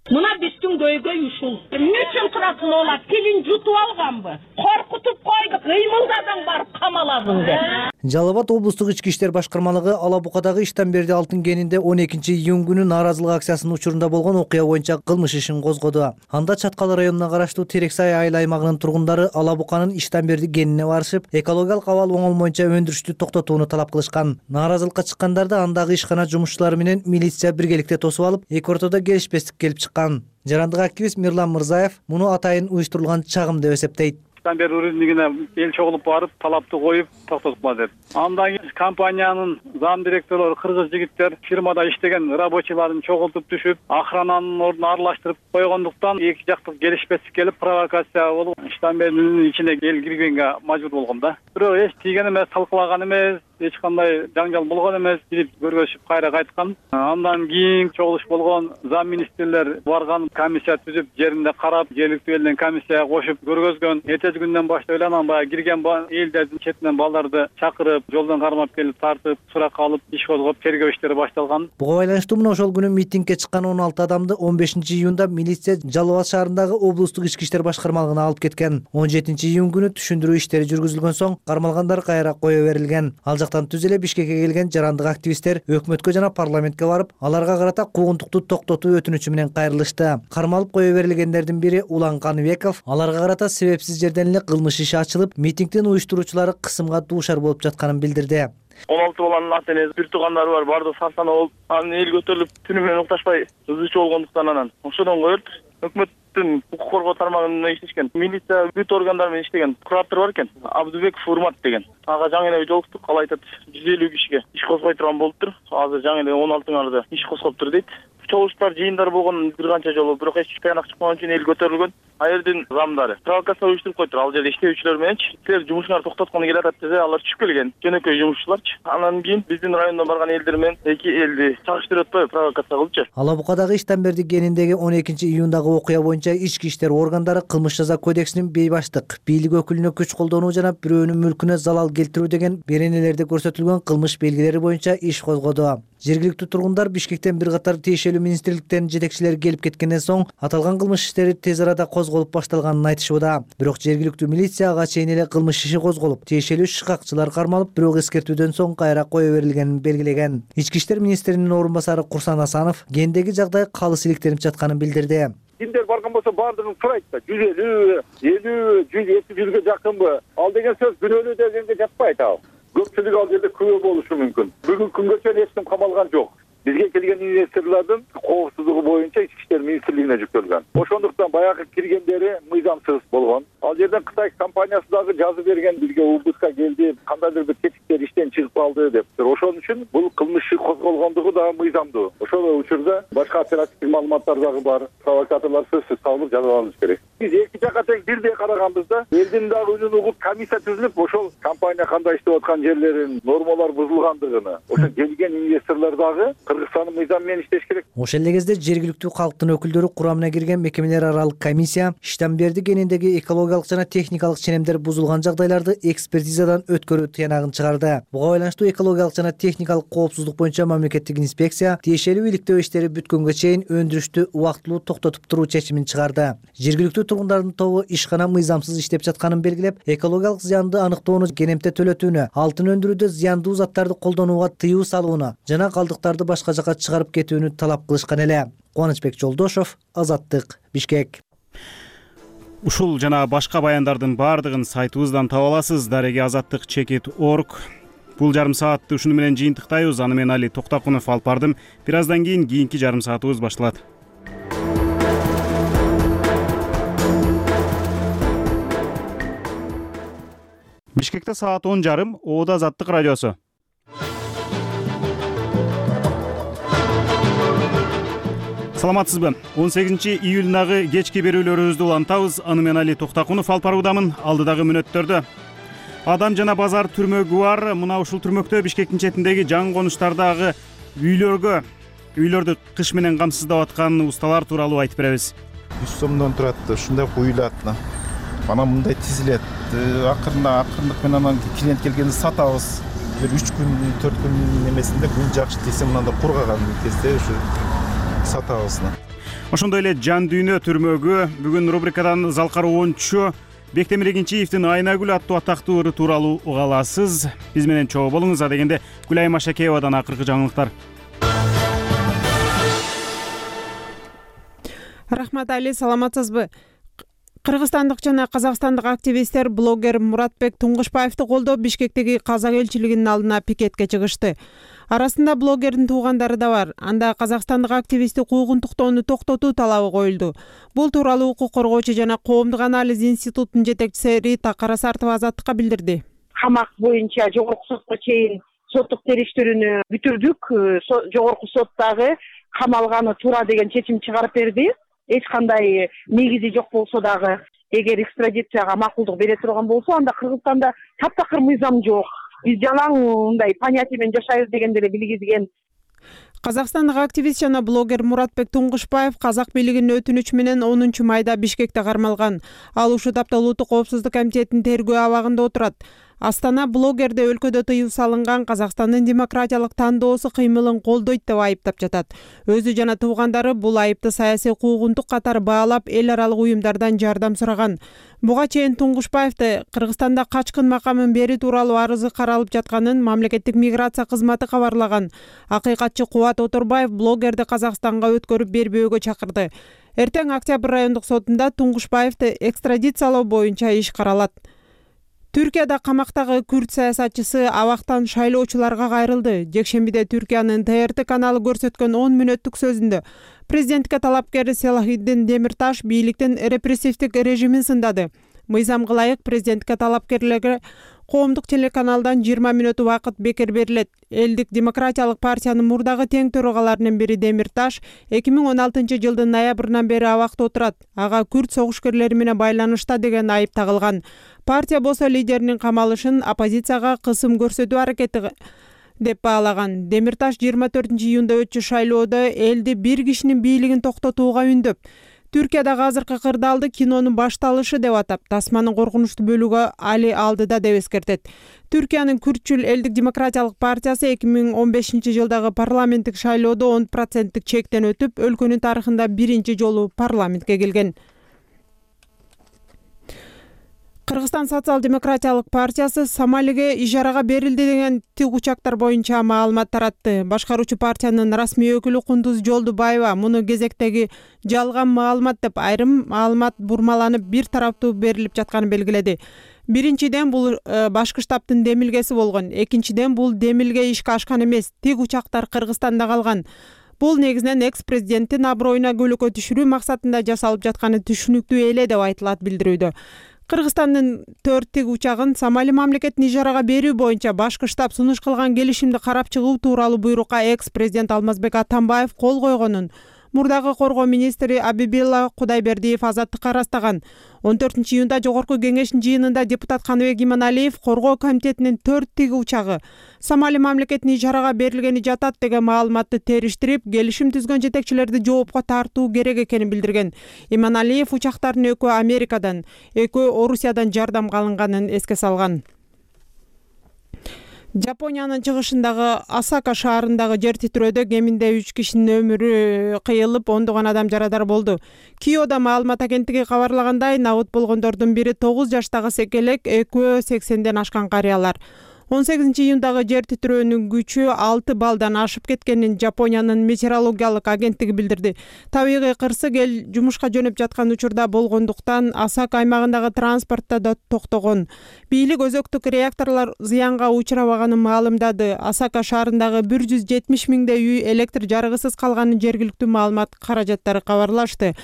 Мына биздин көйгөй ушул. Эмне үчүн турасың олар? Тилин жутуп алганбы? Коркутуп койду, кыймылдадың барып камаладың деп. Жалал Абад облустук ички иштер башкармалыгы Алабукадагы Иштанберди алтын кенинде он экинчи июнь күнү нааразылык акциясынын учурунда болгон окуя боюнча кылмыш ишин козгоду. Анда Чаткал районуна караштуу Терексай айыл аймагынын тургундары Алабуканын Иштанберди кенине барышып, экологиялык абал оңолмоюнча өндүрүштү токтотууну талап кылышкан. Нааразылыкка чыккандарда андагы ишкана жумушчулары менен милиция биргеликте тосуп алып, эки ортодо келишпестик келип чыккан. Жарандык активист Мирлан Мырзаев муну атайын уюштурулган чагым деп эсептейт. Иштанберди руднигине эл чогулуп барып, талапты коюп, токтотупла деп. Андан кийин компаниянын зам директорлору кыргыз жигиттер фирмада иштеген рабочийларын чогултуп түшүп, охрананын ордуна аралаштырып койгондуктан эки жактык келишпестик келип, провокация болуп, Иштанбердинин ичине эл киргенге мажбур болгон да. Бирок эч тийген эмес, талкалаган эмес, эч кандай жаңжал болгон эмес, кирип көргөзүп кайра кайткан. Андан кийин чогулуш болгон, зам министрлер барган, комиссия түзүп, жеринде карап, жергиликтүү элден комиссияга кошуп көргөзгөн. Эртеси күндөн баштап эле анан баягы кирген элдердин четинен балдарды чакырып, жолдон кармап келип тартып, суракка алып, иш козгоп, тергөө иштери башталган. Буга байланыштуу мына ошол күнү митингге чыккан он алты адамды он бешинчи июнда милиция Жалал Абад шаарындагы облустук ички иштер башкармалыгына алып кеткен. он жетинчи июнь күнү түшүндүрүү иштери жүргүзүлгөн соң кармалгандар кайра кое берилген. Ал жактан түз эле Бишкекке келген жарандык активисттер өкмөткө жана парламентке барып, аларга карата куугунтукту токтотуу өтүнүчү менен кайрылышты. Кармалып кое берилгендердин бири Улан Каныбеков аларга карата себепсиз жерден эле кылмыш иши ачылып, митингдин уюштуруучулары кысымга дуушар болуп жатканын билдирди. он алты баланын ата энеси, бир туугандары бар, бардыгы сарсана болуп, анан эл көтөрүлүп, түнү менен укташпай ызычуу болгондуктан анан ошодон коелуп, өкмөттүн укук коргоо тармагында иштешкен, милиция бүт органдар менен иштеген куратор бар экен, Абдубеков Урмат деген. Ага жаңы эле жолуктук, ал айтат жүз элүү кишиге иш козгой турган болуптур. Азыр жаңы эле он алтыңарда иш козгоптур дейт. Чогулуштар, жыйындар болгон бир канча жолу, бирок эч таянак чыкпаган үчүн эл көтөрүлгөн. Ал жердин замдары провокация уюштуруп коюптур. Ал жерде иштөөчүлөр мененчи силер жумушуңарды токтоткону келатат десе, алар түшүп келген. Жөнөкөй жумушчуларчы. Анан кийин биздин райондон барган элдер менен эки элди чагыштырып атпайбы, провокация кылчу. Алабукадагы Иштанберди кениндеги он экинчи июндагы окуя боюнча ички иштер органдары кылмыш жаза кодексинин бейбаштык, бийлик өкүлүнө күч колдонуу жана бирөөнүн мүлкүнө залал келтирүү деген беренелерде көрсөтүлгөн кылмыш белгилери боюнча иш козгоду. Жергиликтүү тургундар Бишкектен бир катар тиешелүү министрликтердин жетекчилери келип кеткенден соң аталган кылмыш иштери тез арада козголуп башталганын айтышууда. Бирок жергиликтүү милиция ага чейин эле кылмыш иши козголуп, тиешелүү шыкакчылар кармалып, бирок эскертүүдөн соң кайра кое берилгенин белгилеген. Ички иштер министринин орун басары Курсан Асанов кендеги жагдай калыс иликтенип жатканын билдирди. Кимдер барган болсо баардыгын сурайт да, жүз элүү, элүү, жүз эки жүзгө жакынбы? Ал деген сөз күнөөлүү дегенге жатпайт ал. Көпчүлүк ал жерде күбө болушу мүмкүн. Бүгүнкү күнгө чейин эч ким камалган жок. Бизге келген инвесторлордун коопсуздугу боюнча ички иштер министрлигине жүктөлгөн. Ошондуктан баягы киргендери мыйзамсыз болгон. Ал жерден Кытай компаниясы дагы жазып берген, бизге УБСка келди, кандайдыр бир тетиктер иштен чыгып калды деп. Ошон үчүн бул кылмыш иши козголгондугу да мыйзамдуу. Ошол учурда башка оперативдик маалыматтар дагы бар. Провокаторлор сөзсүз табылып жазаланышы керек. Биз эки жакка тең бирдей караганбыз да. Элдин дагы үнүн угуп комиссия түзүлүп, ошол компания кандай иштеп аткан жерлерин, нормалар бузулгандыгына, ошо келген инвесторлор дагы Кыргызстандын мыйзамы менен иштеш керек. Ошол эле кезде жергиликтүү калктын өкүлдөрү курамына кирген мекемелер аралык комиссия Иштамберди кениндеги экологиялык жана техникалык ченемдер бузулган жагдайларды экспертизадан өткөрүү тыянагын чыгарды. Буга байланыштуу экологиялык жана техникалык коопсуздук боюнча мамлекеттик инспекция тиешелүү иликтөө иштери бүткөнгө чейин өндүрүштү убактылуу токтотуп туруу чечимин чыгарды. Жергиликтүү тургундардын тобу ишкана мыйзамсыз иштеп жатканын белгилеп, экологиялык зыянды аныктоону, кенемте төлөтүүнү, алтын өндүрүүдө зыяндуу заттарды колдонууга тыюу салууну жана калдыктарды башка жакка чыгарып кетүүнү талап кылышкан эле. Кубанычбек Жолдошов, Азаттык, Бишкек. Ушул жана башка баяндардын баардыгын сайтыбыздан таба аласыз. Дареги азаттык чекит точка орг. Бул жарым саатты ушуну менен жыйынтыктайбыз. Аны мен Али Токтакунов алып бардым. Бир аздан кийин кийинки жарым саатыбыз башталат. Бишкекте саат он жарым, Оода Азаттык радиосу. Саламатсызбы? он сегизинчи июлдагы кечки берүүлөрүбүздү улантабыз. Аны мен Али Токтакунов алып баруудамын. Алдыдагы мүнөттөрдө Адам жана базар түрмөгү бар. Мына ушул түрмөктө Бишкектин четиндеги жаңы конуштардагы үйлөргө, үйлөрдү кыш менен камсыздап аткан усталар тууралуу айтып беребиз. жүз сомдон турат, ушундай куюлат. Мана мындай тизилет. Акырында акырындык менен анан клиент келгенде сатабыз. Бир үч күн, төрт күн эмесинде күн жакшы тийсе мындай кургаган кезде ушу сатабыз. Ошондой эле жан дүйнө түрмөгү бүгүн рубрикадан Залкар Оончу Бектемир Эгинчиевдин Айнагүл аттуу атактуу ыры тууралуу уга аласыз. Биз менен чогуу болуңуз. А дегенде Гүлайым Ашакеевадан акыркы жаңылыктар. Рахмат Али, саламатсызбы? Кыргызстандык жана казакстандык активисттер блогер Муратбек Туңгушбаевди колдоп Бишкектеги казак элчилигинин алдына пикетке чыгышты. Арасында блогердин туугандары да бар. Анда казакстандык активистти куугунтуктоону токтотуу талабы коюлду. Бул тууралуу укук коргоочу жана коомдук анализ институтунун жетекчиси Рита Карасартова Азаттыкка билдирди. Камак боюнча жогорку сотко чейин соттук териштирүүнү бүтүрдүк. Жогорку сот дагы камалганы туура деген чечим чыгарып берди. Эч кандай негизи жок болсо дагы, эгер экстрадицияга макулдук бере турган болсо, анда Кыргызстанда таптакыр мыйзам жок. Биз жалаң мындай понятие менен жашайбыз деген деле билгизген. Казакстандык активист жана блогер Муратбек Туңгушбаев казак бийлигинин өтүнүчү менен онунчу майда Бишкекте кармалган. Ал ушул тапта Улуттук коопсуздук комитетинин тергөө абагында отурат. Астана блогерде өлкөдө тыюу салынган Казакстандын демократиялык тандоосу кыймылын колдойт деп айыптап жатат. Өзү жана туугандары бул айыпты саясий куугунтук катары баалап, эл аралык уюмдардан жардам сураган. Буга чейин Туңгушбаевди Кыргызстанда качкын макамын берүү тууралуу арызы каралып жатканын мамлекеттик миграция кызматы кабарлаган. Акыйкатчы Кубат Оторбаев блогерди Казакстанга өткөрүп бербөөгө чакырды. Эртең Октябрь райондук сотунда Туңгушбаевди экстрадициялоо боюнча иш каралат. Түркияда камактагы күрд саясатчысы абактан шайлоочуларга кайрылды. Жекшембиде Түркиянын Т Р Т каналы көрсөткөн он мүнөттүк сөзүндө президентке талапкер Селахиддин Демирташ бийликтин репрессивдик режимин сындады. Мыйзамга ылайык президентке талапкерлерге коомдук телеканалдан жыйырма мүнөт убакыт бекер берилет. Элдик демократиялык партиянын мурдагы тең төрагаларынын бири Демирташ эки миң он алтынчы жылдын ноябрынан бери абакта отурат. Ага күрд согушкерлери менен байланышта деген айып тагылган. Партия болсо лидеринин камалышын оппозицияга кысым көрсөтүү аракети деп баалаган. Демирташ жыйырма төртүнчү июнда өтчү шайлоодо элди бир кишинин бийлигин токтотууга үндөп, Түркиядагы азыркы кырдаалды кинонун башталышы деп атап, тасманын коркунучтуу бөлүгү али алдыда деп эскертет. Түркиянын Күртчүл элдик демократиялык партиясы эки миң он бешинчи жылдагы парламенттик шайлоодо он проценттик чектен өтүп, өлкөнүн тарыхында биринчи жолу парламентке келген. Кыргызстан социал-демократиялык партиясы Сомалиге ижарага берилди деген тик учактар боюнча маалымат таратты. Башкаруучу партиянын расмий өкүлү Кундуз Жолдубаева муну кезектеги жалган маалымат деп, айрым маалымат бурмаланып бир тараптуу берилип жатканын белгиледи. Биринчиден бул башкы штабтын демилгеси болгон. Экинчиден бул демилге ишке ашкан эмес. Тик учактар Кыргызстанда калган. Бул негизинен экс-президенттин аброюна көлөкө түшүрүү максатында жасалып жатканы түшүнүктүү эле деп айтылат билдирүүдө. Кыргызстандын төрт тик учагын Сомали мамлекетин ижарага берүү боюнча башкы штаб сунуш кылган келишимди карап чыгуу тууралуу буйрукка экс-президент Алмазбек Атамбаев кол койгонун, Мурдагы коргоо министри Абибилла Кудайбердиев Азаттыкка ырастаган. он төртүнчү июнда жогорку кеңештин жыйынында депутат Каныбек Иманалиев коргоо комитетинин төрт тиги учагы Сомали мамлекетинин ишарага берилгени жатат деген маалыматты териштирип, келишим түзгөн жетекчилерди жоопко тартуу керек экенин билдирген. Иманалиев учактардын экөө Америкадан, экөө Орусиядан жардамга алынганын эске салган. Жапониянын чыгышындагы Осака шаарындагы жер титирөөдө кеминде үч кишинин өмүрү кыйылып, ондогон адам жарадар болду. Киодо маалымат агенттиги кабарлагандай, набыт болгондордун бири тогуз жаштагы секелек, экөө сексенден ашкан карыялар. он сегизинчи июндагы жер титирөөнүн күчү алты баллдан ашып кеткенин Жапониянын метеорологиялык агенттиги билдирди. Табигый кырсык эл жумушка жөнөп жаткан учурда болгондуктан Осака аймагындагы транспортто да токтогон. Бийлик өзөктүк реакторлор зыянга учурабаганын маалымдады. Осака шаарындагы бир жүз жетимиш миңдей үй электр жарыгысыз калганын жергиликтүү маалымат каражаттары кабарлашты.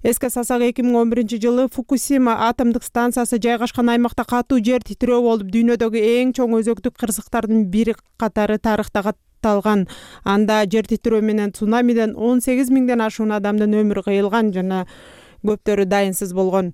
Эске салсак, эки миң он биринчи жылы Фукусима атомдук станциясы жайгашкан аймакта катуу жер титирөө болуп, дүйнөдөгү эң чоң өзөктүк кырсыктардын бири катары тарыхта катталган. Анда жер титирөө менен цунамиден он сегиз миңден ашуун адамдын өмүрү кыйылган жана көптөрү дайынсыз болгон.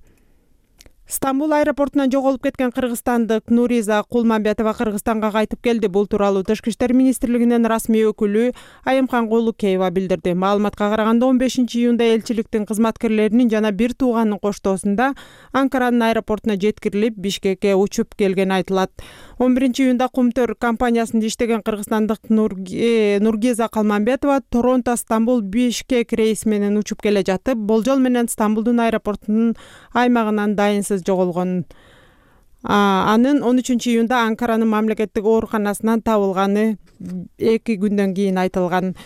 Стамбул аэропортунан жоголуп кеткен кыргызстандык Нуриза Кулмамбетова Кыргызстанга кайтып келди. Бул тууралуу Тышкы иштер министрлигинин расмий өкүлү Айымкан Кулукеева билдирди. Маалыматка караганда, он бешинчи июнда элчиликтин кызматкерлеринин жана бир тууганынын коштоосунда Анкаранын аэропортуна жеткирилип, Бишкекке учуп келгени айтылат. он биринчи июнда Кумтөр компаниясында иштеген кыргызстандык Нургиза Калмамбетова Торонто, Стамбул, Бишкек рейси менен учуп келе жатып, болжол менен Стамбулдун аэропортунун аймагынан дайынсыз жоголгон. Анын он үчүнчү июнда Анкаранын мамлекеттик ооруканасынан табылганы эки күндөн кийин айтылган.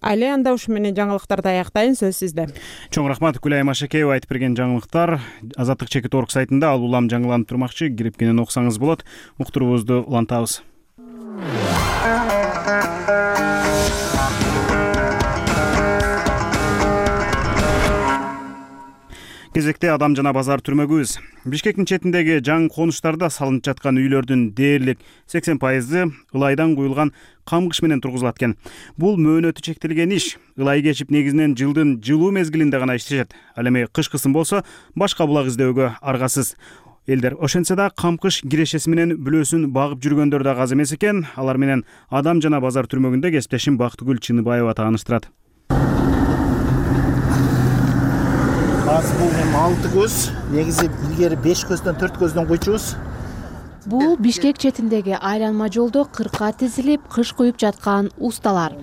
Али анда ушу менен жаңылыктарды аяктайын, сөз сизде. Чоң рахмат Гүлай Машекеева айтып берген жаңылыктар Азаттык чекит орг сайтында ал улам жаңыланып турмакчы, кирип кенен окусаңыз болот. Уктуруубузду улантабыз. Кезекте Адам жана базар түрмөгүбүз. Бишкектин четиндеги жаңы конуштарда салынып жаткан үйлөрдүн дээрлик сексен пайызы ылайдан куюлган камгыш менен тургузулат экен. Бул мөөнөтү чектелген иш. Ылай кечип негизинен жылдын жылуу мезгилинде гана иштешет. Ал эми кышкысын болсо башка булак издөөгө аргасыз. Элдер ошентсе да камкыш кирешеси менен бүлөсүн багып жүргөндөр да аз эмес экен. Алар менен Адам жана базар түрмөгүндө кесиптешим Бактыгүл Чыныбаева тааныштырат. Азыр бул эми алты көз, негизи илгери беш көздөн төрт көздөн куйчубуз. Бул Бишкек четиндеги айланма жолдо кырка тизилип кыш куюп жаткан усталар.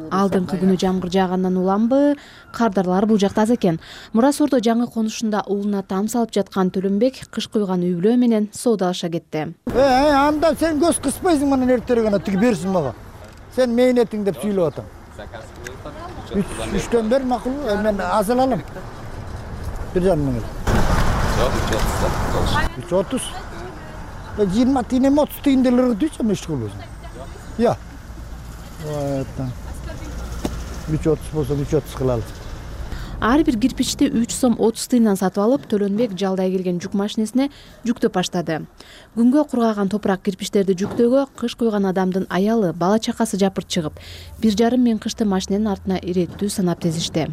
Алдыңкы күнү жамгыр жаагандан уламбы, кардарлар бул жакта аз экен. Мурасордо жаңы конушунда уулуна там салып жаткан Төлөнбек кыш куйган үй бүлө менен соодалаша кетти. Э, анда сен көз кыспайсың мына эртерээк гана тиги берсин мага. Сен мээнетиң деп сүйлөп атам. Үчтөн бер макул, мен аз алам. Bir canım mı? Yok, üç otuz. Yirmi tane otuz tane de lira diyeceğim işte kullanıyorsun. Ya. Evet. Üç otuz olsa üç otuz kılalım. Ар бир кирпичти үч сом отуз тыйындан сатып алып, Төлөнбек жалдай келген жүк машинесине жүктөп баштады. Күнгө кургаган топурак кирпичтерди жүктөөгө кыш куйган адамдын аялы, бала чакасы жапырт чыгып, бир жарым миң кышты машиненин артына иреттүү санап тезишти.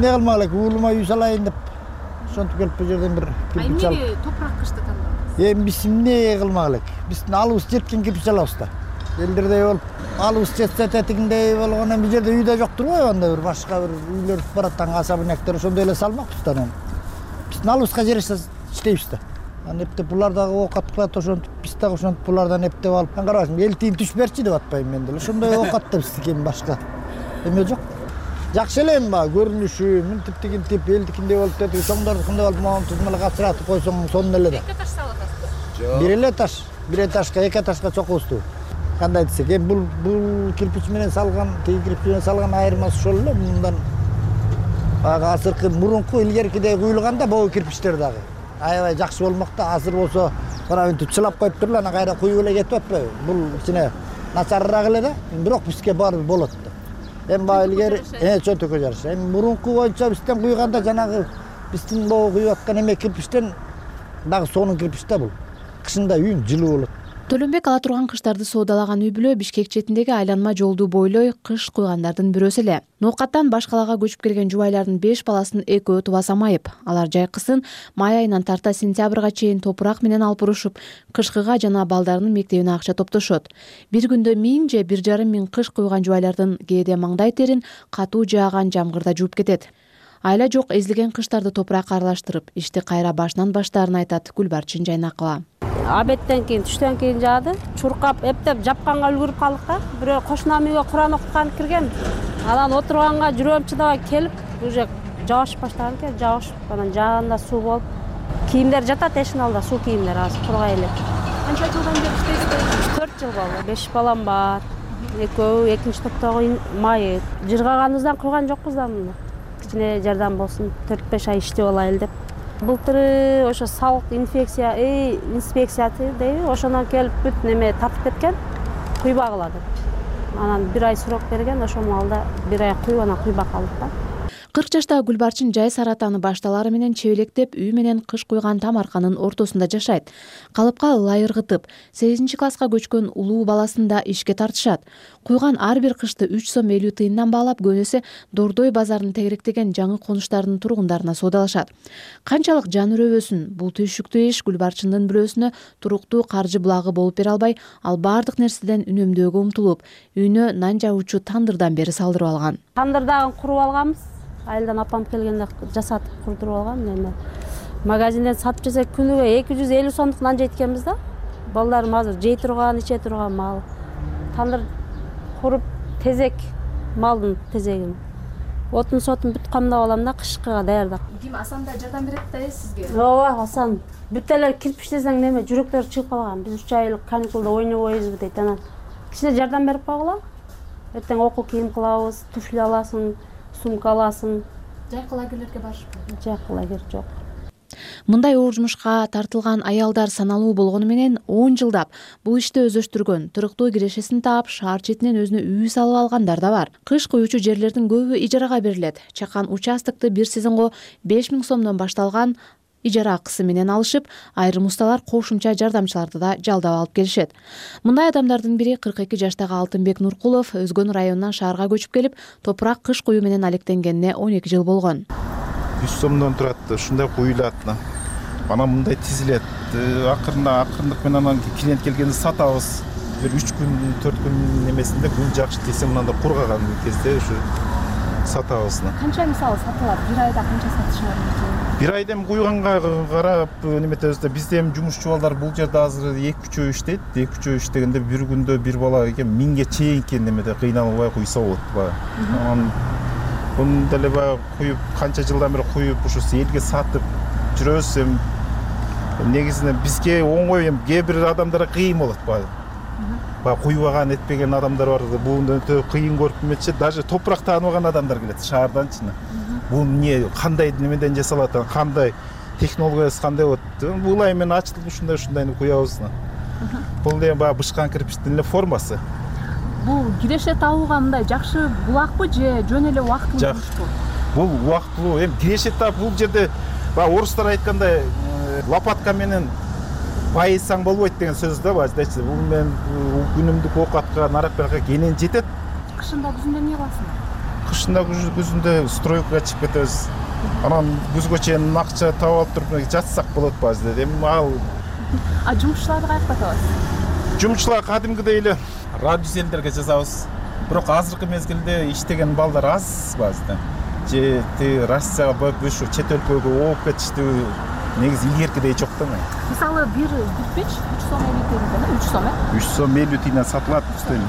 Ne kılmalık, uğuluma yüz alayın deyip şontup gelip bu yerden bir kirpiç alıp. Ay nege toprak kıştı tanıdınız? Em biz ne kılmalık? Biz alыбыз жеткен kirpiç alabız da. Eldirde olup alыбыз jetse tetiginde болгондон bir yerde үйдө жок турбайбы, анда bir başka bir үйлөр бараттан касабы нектер ошондой эле салмакпыз да. Биздин алыбызга жараша иштейбиз да. Аны эптеп булар дагы оокат кылат, ошентип биз дагы ошентип булардан эптеп алып. Мен карабасың, эл тийин түш берчи деп атпайм мен деле. Ошондой оокат да биздики эми башка. Эме жок. Жакшы эле эми баягы көрүнүшү, мынтип тигинтип, элдикиндей болуп кетип, чоңдордукундай болуп, могу тузмала катыратып койсоң сонун эле да. Эки этаж салып атасызбы? Бир эле этаж, бир этажга, эки этажга чокубузду. Кандай десек, эми бул бул кирпич менен салган, тиги кирпич менен салган айырмасы ошол эле. Мындан баягы азыркы мурунку илгеркидей куюлганда богу кирпичтер дагы аябай жакшы болмок да. Азыр болсо мына мынтип чылап коюп туруп анан кайра куюп эле кетип атпайбы? Бул кичине начарыраак эле да. Бирок бизге баары болот да. Эми баягы илгери э чөнтөккө жараша. Эми мурунку боюнча бизден куйганда жанагы биздин могу куюп аткан эме кирпичтен дагы сонун кирпич да бул. Кышында үйүң жылуу болот. Төлөнбек ала турган кыштарды соодалаган үй бүлө Бишкек четиндеги айланма жолду бойлой кыш куйгандардын бирөөсү эле. Ноокаттан баш калаага көчүп келген жубайлардын беш баласын экөө тубаса майып. Алар жайкысын май айынан тарта сентябрга чейин топурак менен алып урушуп, кышкыга жана балдарынын мектебине акча топтошот. Бир күндө миң же бир жарым миң кыш куйган жубайлардын кээде маңдай терин катуу жааган жамгырда жууп кетет. Айла жок эзилген кыштарды топуракка аралаштырып, ишти кайра башынан баштаарын айтат Гүлбарчын Жайнакова. Абеттен кийин, түштөн кийин жаады. Чуркап, эптеп жапканга үлгүрүп калдык да. Бирөө кошунам үйгө Куран окуткан кирген. Анан отурганга жүрөм чыдабай келип, уже жааш баштаган экен, жааш. Анан жааганда суу болуп, кийимдер жатат эшиктин алдында, суу кийимдер азыр кургай эле. Канча жылдан бери иштейсиз? төрт жыл болду. беш балам бар. Экөө экинчи топтогу майы. Жыргаганыбыздан куйган жокпуз да муну. Кичине жардам болсун, төрт беш ай иштеп алайлы деп. Былтыры ошо салык инфекция, эй, инспекциясы дейби, ошондон келип бүт неме тартып кеткен, куйбагыла деп. Анан бир ай срок берген, ошол маалда бир ай куйуп, анан куйбак калдык да. кырк жаштагы Гүлбарчын жай саратаны башталары менен чебелектеп үй менен кыш куйган Тамарканын ортосунда жашайт. Калыпка ылай ыргытып, сегизинчи класска көчкөн улуу баласын да ишке тартышат. Куйган ар бир кышты үч сом элүү тыйындан баалап, көнөсү Дордой базарын тегеректеген жаңы конуштардын тургундарына соодалашат. Канчалык жан үрөбөсүн, бул түйшүктүү иш Гүлбарчындын бирөөсүнө туруктуу каржы булагы болуп бере албай, ал баардык нерседен үнөмдөөгө умтулуп, үйүнө нан жагуучу тандырдан бери салдырып алган. Тандырдагын куруп алганбыз. Айылдан апам келгенде жасатып курдуруп алган. Эми магазинден сатып жесек күнүгө эки жүз элүү сомдук нан жейт экенбиз да. Балдарым азыр жей турган, иче турган мал. Тандыр куруп тезек, малдын тезегин. Отун сотун бүт камдап алам да, кышкыга даярдап. Ким Асан да жардам берет да сизге? Ооба, Асан. Бүт эле кирпич десең неме, жүрөктөр чыгып калган. Биз үч айлык каникулда ойнобойбузбу дейт. Анан кичине жардам берип койгула. Эртең окуу кийим кылабыз, туфли аласың, сумка аласың. Жайкы лагерлерге барышпы? Жайкы лагер жок. Мындай оор жумушка тартылган аялдар саналуу болгону менен он жылдап бул ишти өздөштүргөн, туруктуу кирешесин таап, шаар четинен өзүнө үй салып алгандар да бар. Кыш куюучу жерлердин көбү ижарага берилет. Чакан участокты бир сезонго беш миң сомдон башталган ижара акысы менен алышып, айрым усталар кошумча жардамчыларды да жалдап алып келишет. Мындай адамдардын бири кырк эки жаштагы Алтынбек Нуркулов Өзгөн районунан шаарга көчүп келип, топурак кыш куюу менен алектенгенине он эки жыл болгон. жүз сомдон турат, ушундай куюлат. Анан мындай тизилет. Акырында акырындык менен анан клиент келгенде сатабыз. Бир үч күн, төрт күн немесинде күн жакшы десе мындай кургаган кезде ушу сатабыз. Канча мисалы сатылат? Бир айда канча сатышат? Бир айда эми куйганга карап неметебиз да, бизде эми жумушчу балдар бул жерде азыр эки үчөө иштейт. эки үчөө иштегенде бир күндө бир бала экен миңге чейинки немеде кыйналбай куйса болот баягы. Анан бун деле баягы куюп, канча жылдан бери куюп, ушу элге сатып жүрөбүз. Эми негизинен бизге оңой, эми кээ бир адамдарга кыйын болот баягы. Баягы куйбаган, этпеген адамдар бар. Бул өтө кыйын көрүп эметчи, даже топурак тааныбаган адамдар келет шаарданчы. Бул эмне, кандай немеден жасалат, кандай технологиясы кандай болот. Булай менен ачылып ушундай ушундайны куябыз. Бул деген баягы бышкан кирпичтин эле формасы. Бул киреше табууга мындай жакшы булакпы же жөн эле убактылуу жумушпу? Бул убактылуу. Эми киреше таап бул жерде баягы орустар айткандай лопатка менен байысаң болбойт деген сөз да баздачы. Бул менен күнүмдүк оокатка, нарак-баракка кенен жетет. Кышында күзүндө эмне кыласың? Кышында күзүндө стройкага чыгып кетебиз. Анан күзгө чейин акча таап алып туруп жатсак болот базда. Эми ал А жумушчуларды каяка табасыз? Жумушчулар кадимкидей эле радиоселдерге жазабыз. Бирок азыркы мезгилде иштеген балдар аз базда. Же ти Россияга барып ушу чет өлкөгө ооп кетишти. Негизи илгеркидей жок да. Мисалы бир кирпич үч сом элүү тыйындан, үч сом э? үч сом элүү тыйындан сатылат үстөн.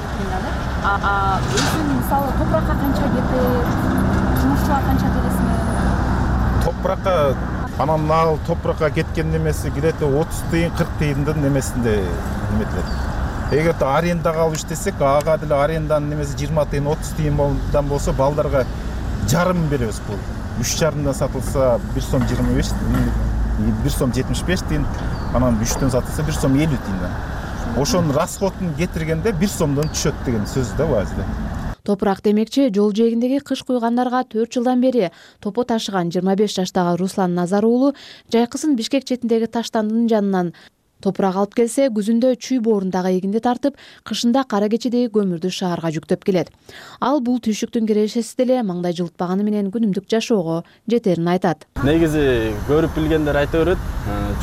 А өзүң мисалы топуракка канча кетет? Жумушчуга канча бересиң? Топуракка анан ал топуракка кеткен немеси кирет отуз тыйын, кырк тыйындын немесинде неметилет. Эгерде арендага алып иштесек, ага деле аренданын немеси жыйырма тыйын, отуз тыйындан болсо балдарга жарым беребиз бул. үч жарымдан сатылса бир сом жыйырма беш, бир сом жетимиш беш тыйын, анан үчтөн сатылса бир сом элүү тыйындан. Ошонун расходун кетиргенде бир сомдон түшөт деген сөз да базда. Топурак демекчи, жол жээгиндеги кыш куйгандарга төрт жылдан бери топо ташыган жыйырма беш жаштагы Руслан Назар уулу жайкысын Бишкек четиндеги Таштандын жанынан Топурак алып келсе, күзүндө чүй боорундагы эгинди тартып, кышында кара кечедеги көмүрдү шаарга жүктөп келет. Ал бул түйшүктүн кирешеси деле маңдай жылытпаганы менен күнүмдүк жашоого жетерин айтат. Негизи көрүп билгендер айта берет,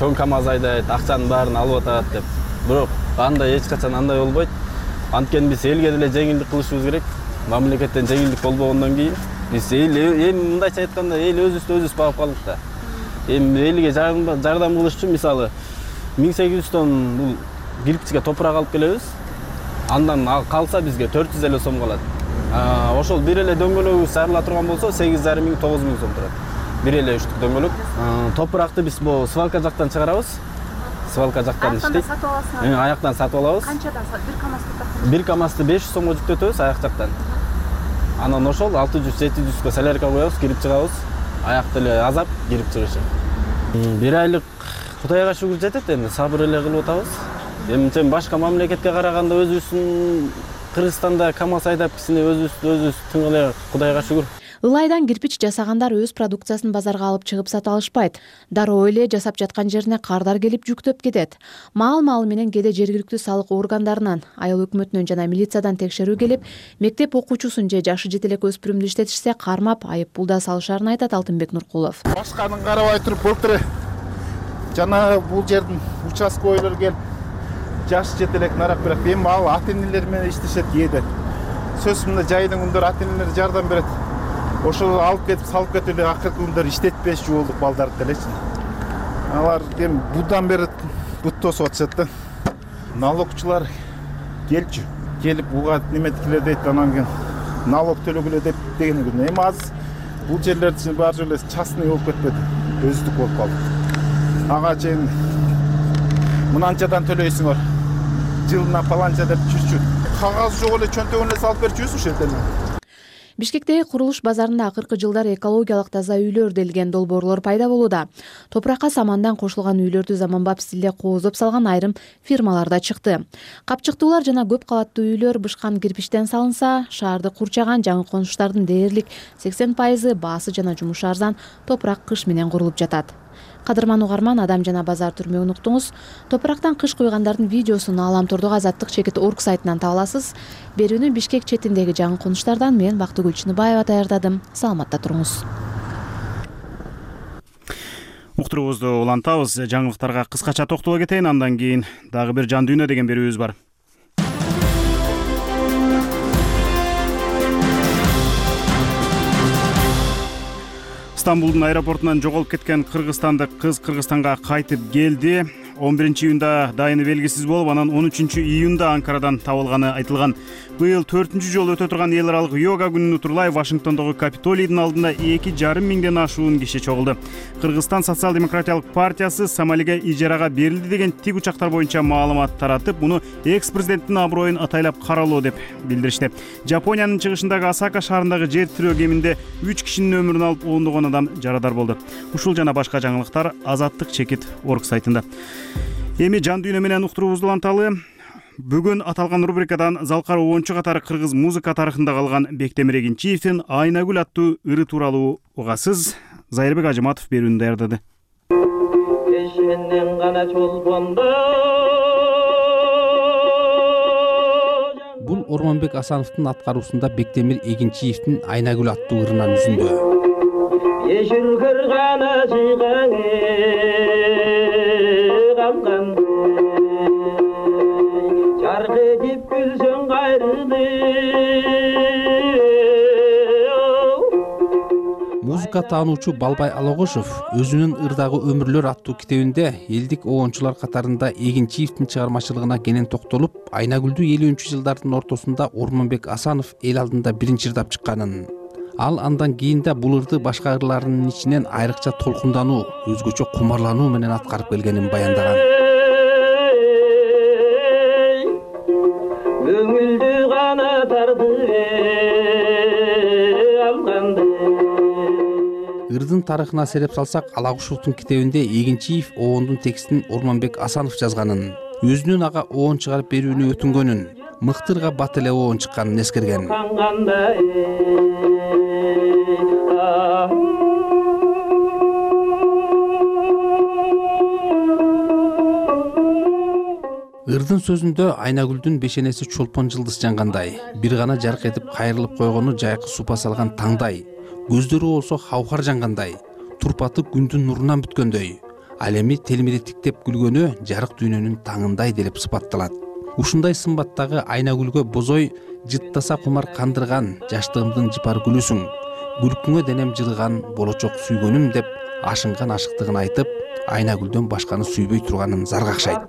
чоң КАМАЗ айдайт, акчанын баарын алып атат деп. Бирок андай эч качан андай болбойт. Анткени биз элге деле жеңилдик кылышыбыз керек. Мамлекеттен жеңилдик болбогондон кийин биз эл эми мындайча айтканда эл өзүбүздү өзүбүз багып калдык да. Эми элге жардам кылыш үчүн мисалы миң сегиз жүз тонн бул кирпичке топурак алып келебиз. Андан калса бизге төрт жүз элүү сом калат. Ошол бир эле дөңгөлөгүбүз сарыла турган болсо сегиз жарым миң тогуз миң сом турат. Бир эле үчтүк дөңгөлөк. Топуракты биз бу свалка жактан чыгарабыз. Свалка жактан иштейт. Аяктан сатып алабыз. Канчадан бир КАМАЗ топурак? Бир КАМАЗды беш жүз сомго жүктөтөбүз аяк жактан. Анан ошол алты жүз жети жүзгө солярка коебуз, кирип чыгабыз. Аякты эле азап кирип чыгышы. Бир айлык Кудайга шүгүр жетет, эми сабыр эле кылып атабыз. Эми башка мамлекетке караганда өзүбүздүн Кыргызстанда КАМАЗ айдап кичине өзүбүз өзүбүз тың эле Кудайга шүгүр. Ылайдан кирпич жасагандар өз продукциясын базарга алып чыгып сата алышпайт. Дароо эле жасап жаткан жерине кардар келип жүктөп кетет. Маал-маал менен кээде жергиликтүү салык органдарынан, айыл өкмөтүнөн жана милициядан текшерүү келип, мектеп окуучусун же жашы жете элек өспүрүмдү иштетишсе кармап, айып пул да салышарын айтат Алтынбек Нуркулов. Башканын карабай туруп былтыр жана бул жердин участковойлор келип жашы жете элек нарак берет. Эми ал ата-энелер менен иштешет кээде. Сөзсүз мында жайдын күндөрү ата-энелер жардам берет. Ошол алып кетип салып кетип эле акыркы күндөр иштетпеши болдук балдарды делечи. Алар эми будан бери бут тосуп атышат да. Налогчулар келчү. Келип буга неметикилер дейт, анан кийин налог төлөгүлө деп деген күн. Эми азыр бул жерлерди баары жолу частный болуп кетпеди. Өздүк болуп калды. Ага чейин мынанчадан төлөйсүңөр. Жылына паланча деп жүрчү. Кагаз жок эле чөнтөгүн эле салып берчүбүз ушул жерден. Бишкектеги курулуш базарында акыркы жылдары экологиялык таза үйлөр делген долбоорлор пайда болууда. Топуракка самандан кошулган үйлөрдү заманбап стилде кооздоп салган айрым фирмалар да чыкты. Капчыктуулар жана көп кабаттуу үйлөр бышкан кирпичтен салынса, шаарды курчаган жаңы конуштардын дээрлик сексен пайызы баасы жана жумушу арзан топурак кыш менен курулуп жатат. Кадырман угарман, Адам жана базар түрмөгүн уктуңуз. Топурактан кыш куйгандардын видеосун Ааламтордогу азаттык чекит орг сайтынан таба аласыз. Берүүнү Бишкек четиндеги жаңы конуштардан мен Бактыгүл Чыныбаева даярдадым. Саламатта туруңуз. Уктуруубузду улантабыз. Жаңылыктарга кыскача токтоло кетейин, андан кийин дагы бир жан дүйнө деген берүүбүз бар. Стамбулдун аэропортунан жоголуп кеткен кыргызстандык кыз Кыргызстанга кайтып келди. он биринчи июнда дайыны белгисиз болуп, анан он үчүнчү июнда Анкарадан табылганы айтылган. Быйыл төртүнчү жолу өтө турган эл аралык йога күнүнө утурлай Вашингтондогу Капитолийдин алдында эки жарым миңден ашуун киши чогулду. Кыргызстан социал-демократиялык партиясы Сомалиге ижарага берилди деген тик учактар боюнча маалымат таратып, муну экс-президенттин аброюн атайлап каралоо деп билдиришти. Жапониянын чыгышындагы Осака шаарындагы жер тирөө кеминде үч кишинин өмүрүн алып, ондогон адам жарадар болду. Ушул жана башка жаңылыктар азаттык чекит орг сайтында. Эми жан дүйнө менен уктуруубузду уланталы. Бүгүн аталган рубрикадан залкар оончу катары кыргыз музыка тарыхында калган Бектемир Эгинчиевдин Айнагүл аттуу ыры тууралуу угасыз. Зайырбек Ажыматов берүүнү даярдады. Бул Ормонбек Асановдун аткаруусунда Бектемир Эгинчиевдин Айнагүл аттуу ырынан үзүндү. Музыка таануучу Балбай Алагошов өзүнүн ырдагы өмүрлөр аттуу китебинде элдик оончулар катарында Эгинчиевдин чыгармачылыгына кенен токтолуп, Айнагүлдү элүүнчү жылдардын ортосунда Ормонбек Асанов эл алдында биринчи ырдап чыкканын, ал андан кийин да бул ырды башка ырларынын ичинен айрыкча толкундануу, өзгөчө кумарлануу менен аткарып келгенин баяндаган. Көңүлдү гана тарды алганды. Ырдын тарыхына сереп салсак, Алагушевдун китебинде Эгинчиев оондун текстин Ормонбек Асанов жазганын, өзүнүн ага оон чыгарып берүүнү өтүнгөнүн, мыктырга бат эле оон чыкканын эскерген. Ырдын сөзүндө Айнагүлдүн бешенеси чолпон жылдыз жангандай, бир гана жарк этип кайрылып койгону жайкы супа салган таңдай, көздөрү болсо хавхар жангандай, турпаты күндүн нурунан бүткөндөй, ал эми телмири тиктеп күлгөнү жарык дүйнөнүн таңындай делип сыпатталат. Ушундай сымбаттагы Айнагүлгө бозой жыттаса кумар кандырган жаштыгымдын жыпар гүлүсүң, күлкүңө денем жылыган болочок сүйгөнүм деп ашынган ашыктыгын айтып, Айнагүлдөн башканы сүйбөй турганын заргакшайт.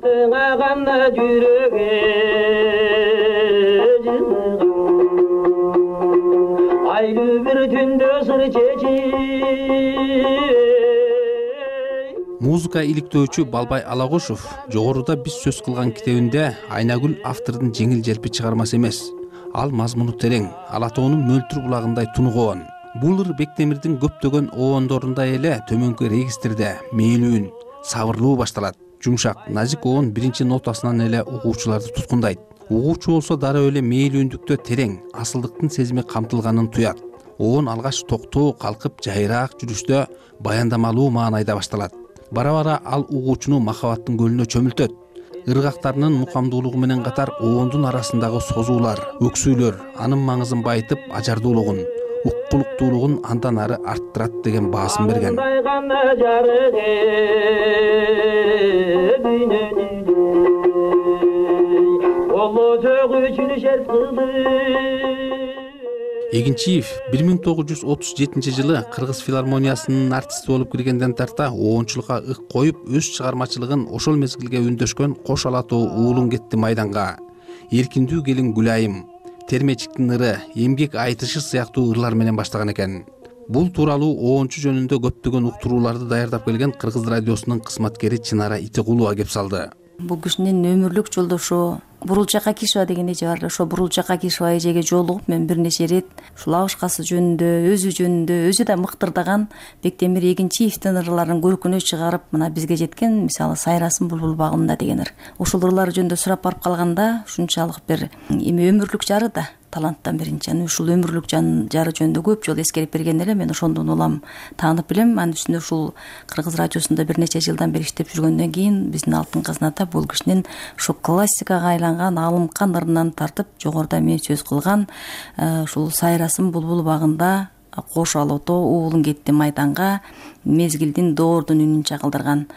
Музыка иликтөөчү Балбай Алагошов жогоруда биз сөз кылган китебинде Айнагүл автордун жеңил желпи чыгармасы эмес. Ал мазмуну терең, Алатоонун мөлтүр булагындай тунугуон. Бул ыр Бектемирдин көптөгөн оондорундай эле төмөнкү регистрде мээлүүн, сабырлуу башталат. Жумшак, назик оон биринчи нотасынан эле угуучуларды туткундайт. Угуучу болсо дароо эле мээлүүндүктө терең, асылдыктын сезими камтылганын туят. Оон алгаш токтоо калкып жайраак жүрүштө баяндамалуу маанайда башталат. Бара-бара ал угуучуну махабаттын көлүнө чөмүлтөт. Ыргактарынын мукамдуулугу менен катар оондун арасындагы созуулар, өксүүлөр анын маңызын байытып, ажардуулугун, уккулуктуулугун андан ары арттырат деген баасын берген. Эгинчиев бир миң тогуз жүз отуз жетинчи жылы Кыргыз филармониясынын артисти болуп киргенден тарта оончулукка ык коюп, өз чыгармачылыгын ошол мезгилге үндөшкөн Кош Алатоо уулум кетти майданга, Эркиндүү келин Гүлайым, Термечиктин ыры, Эмгек айтышы сыяктуу ырлар менен баштаган экен. Бул тууралуу оончу жөнүндө көптөгөн уктурууларды даярдап келген Кыргыз радиосунун кызматкери Чынара Итегулова кеп салды. Бул кишинин өмүрлүк жолдошу Бурулчак Акишева деген эже бар. Ошо Бурулчак Акишева эжеге жолугуп мен бир нече ирет ушул абышкасы жөнүндө, өзү жөнүндө, өзү да мыктырдаган Бектемир Эгинчиевдин ырларын көркүнө чыгарып, мына бизге жеткен, мисалы Сайрасым булбул багымда деген ыр. Ошол ырлар жөнүндө сурап барып калганда, ушунчалык бир эми өмүрлүк жары да таланттан биринчи. Аны ушул өмүрлүк жары жөнүндө көп жолу эскерип берген эле, мен ошондон улам таанып билем. Анын үстүнө ушул Кыргыз радиосунда бир нече жылдан бери иштеп жүргөндөн кийин биздин Алтын казната бул кишинин ушу классикага айланган алымкан ырынан тартып, жогоруда мен сөз кылган ушул Сайрасым булбул багында, Кош Алатоо уулум кетти майданга, мезгилдин доордун үнүн чагылдырган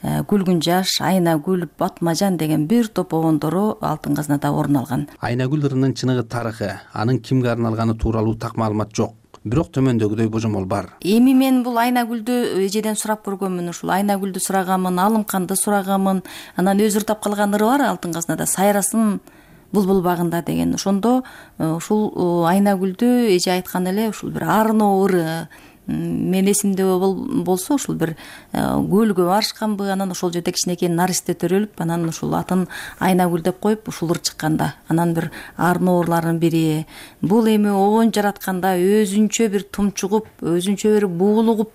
Күлгүн жаш, Айнагүл, Батмажан деген бир топ оондору Алтын казнада орун алган. Айнагүл ырынын чыныгы тарыхы, анын кимге арналганы тууралуу так маалымат жок. Бирок төмөндөгүдөй божомол бар. Эми мен бул Айнагүлдү эжеден сурап көргөнмүн, ушул Айнагүлдү сурагамын, Алымканды сурагамын. Анан өзү ырдап калган ыры бар Алтын казнада, Сайрасым булбул багында деген. Ошондо ушул Айнагүлдү эже айткан эле, ушул бир арноо ыры. Мен эсимде болсо ушул бир көлгө барышканбы, анан ошол жерде кичинекей наристе төрөлүп, анан ушул атын Айнагүл деп коюп ушул ыр чыкканда, анан бир арноо ырлардын бири. Бул эми оон жаратканда өзүнчө бир тумчугуп, өзүнчө бир буулугуп,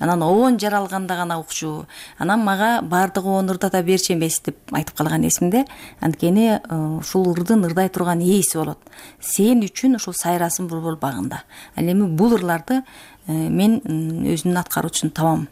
анан оон жаралганда гана укчу. Анан мага баардыгы оон ырдата берчү эмес деп айтып калган эсимде. Анткени ушул ырдын ырдай турган ээси болот. Сен үчүн ушул Сайрасым булбул багында. Ал эми бул ырларды мен өзүмдүн аткаруучусун табам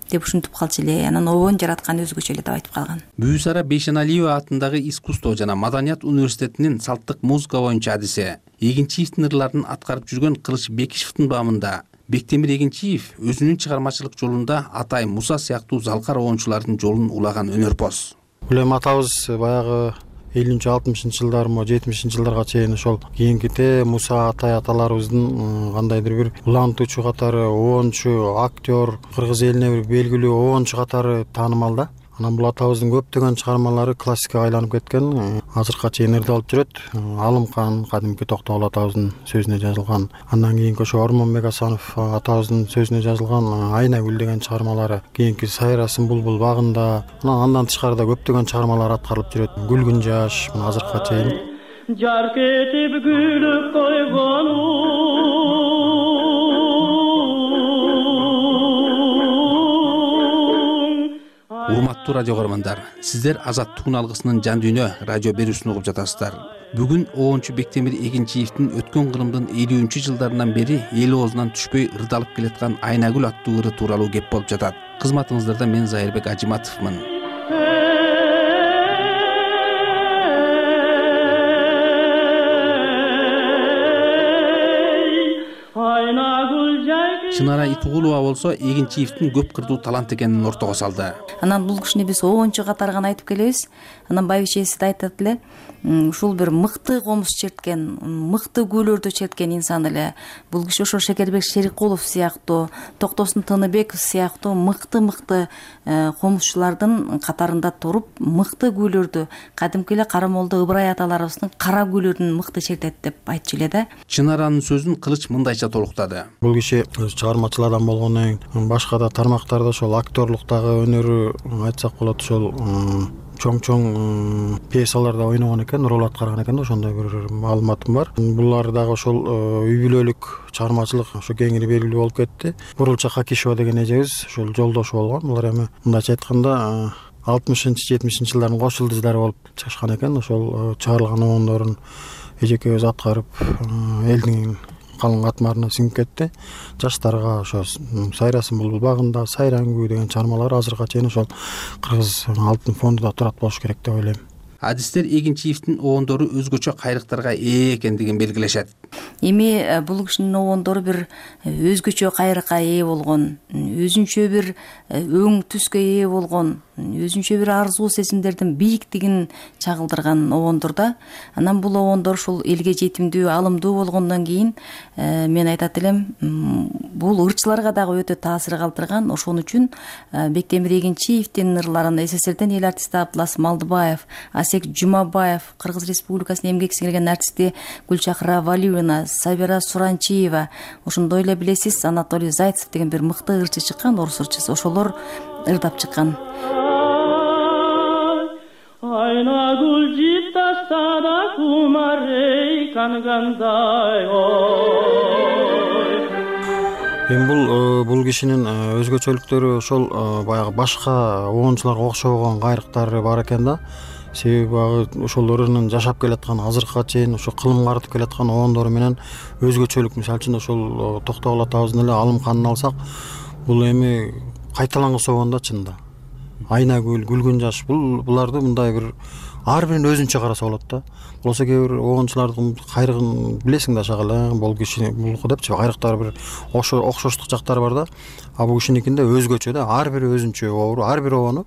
деп ушинтип калчу эле. Анан оон жараткан өзгөчө эле деп айтып калган. Бүүсара Бейшеналиева атындагы искусство жана маданият университетинин салттык музыка боюнча адиси, Эгинчиевдин ырларын аткарып жүргөн Кылыч Бекишевдин баамында Бектемир Эгинчиев өзүнүн чыгармачылык жолунда Атай Муса сыяктуу залкар оончулардын жолун улаган өнөрпоз. Гүлем атабыз баягы элүүнчү алтымышынчы жылдар мо жетимишинчи жылдарга чейин ошол кийинките Муса Атай аталарыбыздын кандайдыр бир улантуучу катары, оончу, актер, кыргыз элине бир белгилүү оончу катары таанымал да. Анан бул атабыздын көптөгөн чыгармалары классикага айланып кеткен, азыркыга чейин ырдалып жүрөт. Алымкан кадимки Токтогул атабыздын сөзүнө жазылган, андан кийинки ошо Ормонбек Асанов атабыздын сөзүнө жазылган Айнагүл деген чыгармалары, кийинки Сайрасым булбул багында, андан тышкарыда көптөгөн чыгармалар аткарылып жүрөт. Күлгүн жаш, азыркыга чейин. Жарк этип күлүп койгону Урматтуу радио көрөрмандар, сиздер Азаттыктын алгысынын жан дүйнө радио берүүсүн угуп жатасыздар. Бүгүн оончу Бектемир Эгинчиевдин өткөн кылымдын элүүнчү жылдарынан бери эл оозунан түшпөй ырдалып келаткан Айнагүл аттуу ыры тууралуу кеп болуп жатат. Кызматыңыздарда мен Зайырбек Ажиматовмун. Чынара Итугулова болсо Эгинчиевдин көп кырдуу талант экенин ортого салды. Анан бул кишини биз обончу катары гана айтып келебиз. Анан байбичеси да айтат эле, ушул бир мыкты комуз черткен, мыкты күүлөрдү черткен инсан эле. Бул киши ошо Шекербек Шерикулов сыяктуу, Токтосун Тыныбеков сыяктуу мыкты-мыкты комузчулардын катарында туруп, мыкты күүлөрдү, кадимки эле Карамолдо Ыбырай аталарыбыздын кара күүлөрүн мыкты чертет деп айтчу эле да. Чынаранын сөзүн Кылыч мындайча толуктады. Бул киши чыгармачыл адам болгондон кийин башка да тармактарда ошол актерлуктагы өнөрү айтсак болот, ошол чоң-чоң пьесаларда ойногон экен, роль аткарган экен да, ошондой бир маалыматым бар. Булар дагы ошол үй бүлөлүк чыгармачылык ошо кеңири белгилүү болуп кетти. Бурулча Хакишева деген эжебиз ошол жолдошу болгон. Булар эми мындайча айтканда алтымышынчы жетимишинчи жылдардын кош жылдыздары болуп чыгышкан экен. Ошол чыгарылган обондорун эжекебиз аткарып, элдин калың катмарына сиңип кетти. Жаштарга ошо Сайрасын булбул багында, Сайран күү деген чыгармалар азыркыга чейин ошол Кыргыз алтын фондунда турат болуш керек деп ойлойм. Адистер Эгинчиевдин обондору өзгөчө кайрыктарга ээ экендигин белгилешет. Эми бул кишинин обондору бир өзгөчө кайрыкка ээ болгон, өзүнчө бир өң түскө ээ болгон, өзүнчө бир арзуу сезимдердин бийиктигин чагылдырган обондор да. Анан бул обондор ушул элге жетимдүү, алымдуу болгондон кийин мен айтат элем, бул ырчыларга дагы өтө таасир калтырган. Ошон үчүн Бектемир Эгинчиевдин ырларын СССРден эл артисти Абдылас Малдыбаев, Асек Жумабаев, Кыргыз Республикасынын эмгек сиңирген артисти Гүлчакыра Валиевна, Сабира Суранчиева, ошондой эле билесиз Анатолий Зайцев деген бир мыкты ырчы чыккан, орус ырчысы, ошолор ырдап чыккан. Айнагүл життастада кумарей кангандай ой. Эми бул бул кишинин өзгөчөлүктөрү ошол баягы башка обончуларга окшобогон кайрыктары бар экен да. Себеби багы ошолорунун жашап келаткан азыркыга чейин ошо кылым карытып келаткан обондору менен өзгөчөлүк. Мисалы үчүн ошол Токтогул атабыздын эле Алымканын алсак, бул эми кайталангыс обон да чынында. Айнагүл, Күлгүн жаш, бул буларды мындай бир ар бирин өзүнчө караса болот да. Болсо кээ бир обончулардын кайрыгын билесиң да шагала, бул киши булку депчи кайрыктары бир окшоштук жактары бар да. А бул кишиникинде өзгөчө да, ар бири өзүнчө обору, ар бир обону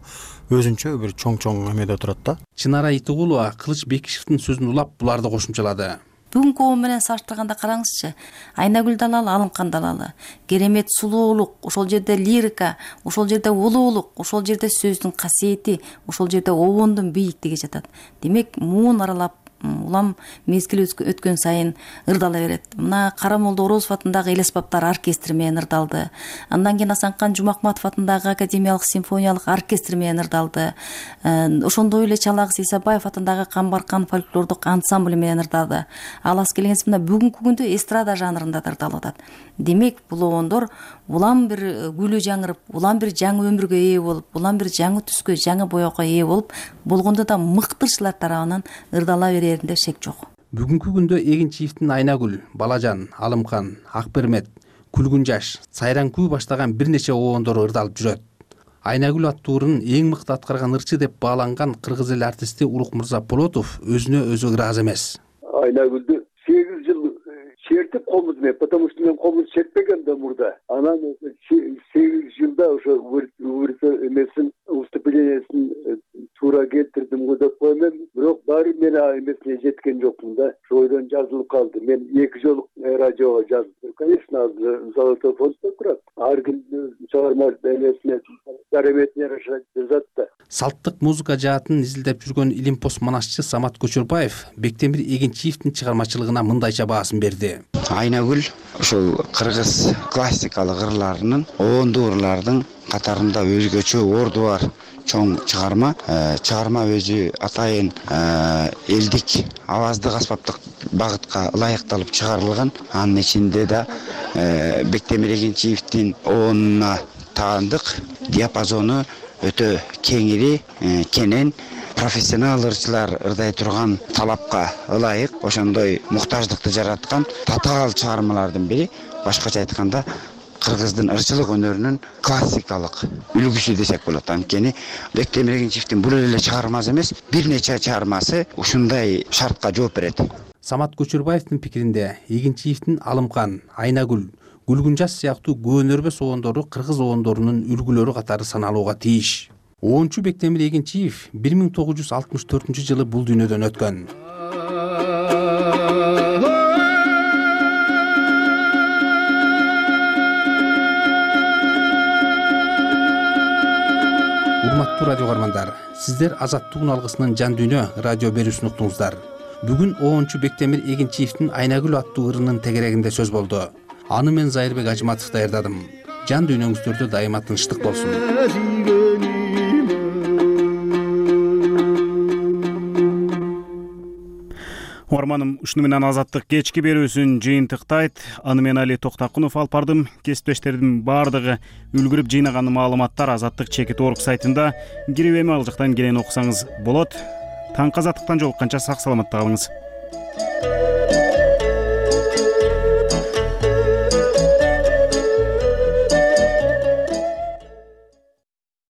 өзүнчө бир чоң-чоң эмеде турат да. Чынара Итугулова Кылыч Бекишевдин сөзүн улап буларды кошумчалады. Бүгүнкү обон менен салыштырганда караңызчы, Айнагүл далалы, Алымкан далалы, керемет сулуулук, ошол жерде лирика, ошол жерде улуулук, ошол жерде сөздүн касиети, ошол жерде обондун бийиктиги жатат. Демек, муун аралап улам мезгил өткөн сайын ырдала берет. Мына Карамолдо Орозов атындагы эл аспаптар оркестри менен ырдалды. Андан кийин Асанкан Жумакматов атындагы академиялык симфониялык оркестр менен ырдалды. Ошондой эле Чалагыз Исабаев атындагы Камбаркан фольклордук ансамбль менен ырдалды. Ал аз келгенсиз мына бүгүнкү күндө эстрада жанрында да ырдалып атат. Демек, бул обондор улам бир күлүү жаңырып, улам бир жаңы өмүргө ээ болуп, улам бир жаңы түскө, жаңы боёкко ээ болуп, болгондо да мыктырчылар тарабынан ырдала береринде шек жок. Бүгүнкү күндө Эгинчиевдин Айнагүл, Балажан, Алымкан, Акбермет, Күлгүн жаш, Сайран күү баштаган бир нече обондору ырдалып жүрөт. Айнагүл аттуурун эң мыкты аткарган ырчы деп бааланган кыргыз эл артисти Улукмырза Полотов өзүнө өзү ыраазы эмес. Айнагүлдү сегиз жыл чертип комуз мен, потому что мен комуз чертпегем да мурда. Анан сегиз жылда ошо эмесин выступлениесин туура келтирдим го деп коем. Бирок баары мен эмесине жеткен жокмун да. Ошойдон жазылып калды. Мен эки жолу радиого жаздым. Конечно, Золотой фонддо турат. Ар ким чыгарма эмесине дареметине жараша жазат да. Салттык музыка жаатын изилдеп жүргөн илимпоз манашчы Самат Көчөрбаев Бектемир Эгинчиевдин чыгармачылыгына мындайча баасын берди. Айнагүл ошол кыргыз классикалык ырларынын, обондуу ырлардын катарында өзгөчө орду бар чоң чыгарма. Чыгарма өзү атайын элдик аваздык аспаптык багытка ылайыкталып чыгарылган. Анын ичинде да Бектемир Эгинчиевдин обонуна таандык диапазону өтө кеңири, кенен, профессионал ырчылар ырдай турган талапка ылайык, ошондой муктаждыкты жараткан татаал чыгармалардын бири. Башкача айтканда, кыргыздын ырчылык өнөрүнүн классикалык үлгүсү десек болот. Анткени Бектемир Эгинчиевдин бул эле чыгармасы эмес, бир нече чыгармасы ушундай шартка жооп берет. Самат Көчөрбаевдин пикиринде Эгинчиевдин Алымкан, Айнагүл, Гүлгүнжас сыяктуу көөнөрбө соондору кыргыз оондорунун үлгүлөрү катары саналууга тийиш. онунчу Бектемир Эгинчиев бир миң тогуз жүз алтымыш төртүнчү жылы бул дүйнөдөн өткөн. Урматтуу радио каармандар, сиздер Азаттык алгысынын жан дүйнө радио берүүсүн уктуңуздар. Бүгүн онунчу Бектемир Эгинчиевдин Айнагүл аттуу ырынын тегерегинде сөз болду. Аны мен Зайырбек Ажыматов даярдадым. Жан дүйнөңүздөрдө дайыма тынчтык болсун. Угарманым, ушуну менен Азаттык кечки берүүсүн жыйынтыктайт. Аны мен Али Токтакунов алып бардым. Кесиптештердин баардыгы үлгүрүп жыйнаган маалыматтар Азаттык чекит орг сайтында. Кирип эми ал жактан келен окусаңыз болот. Таңкы Азаттыктан жолукканча сак саламатта калыңыз.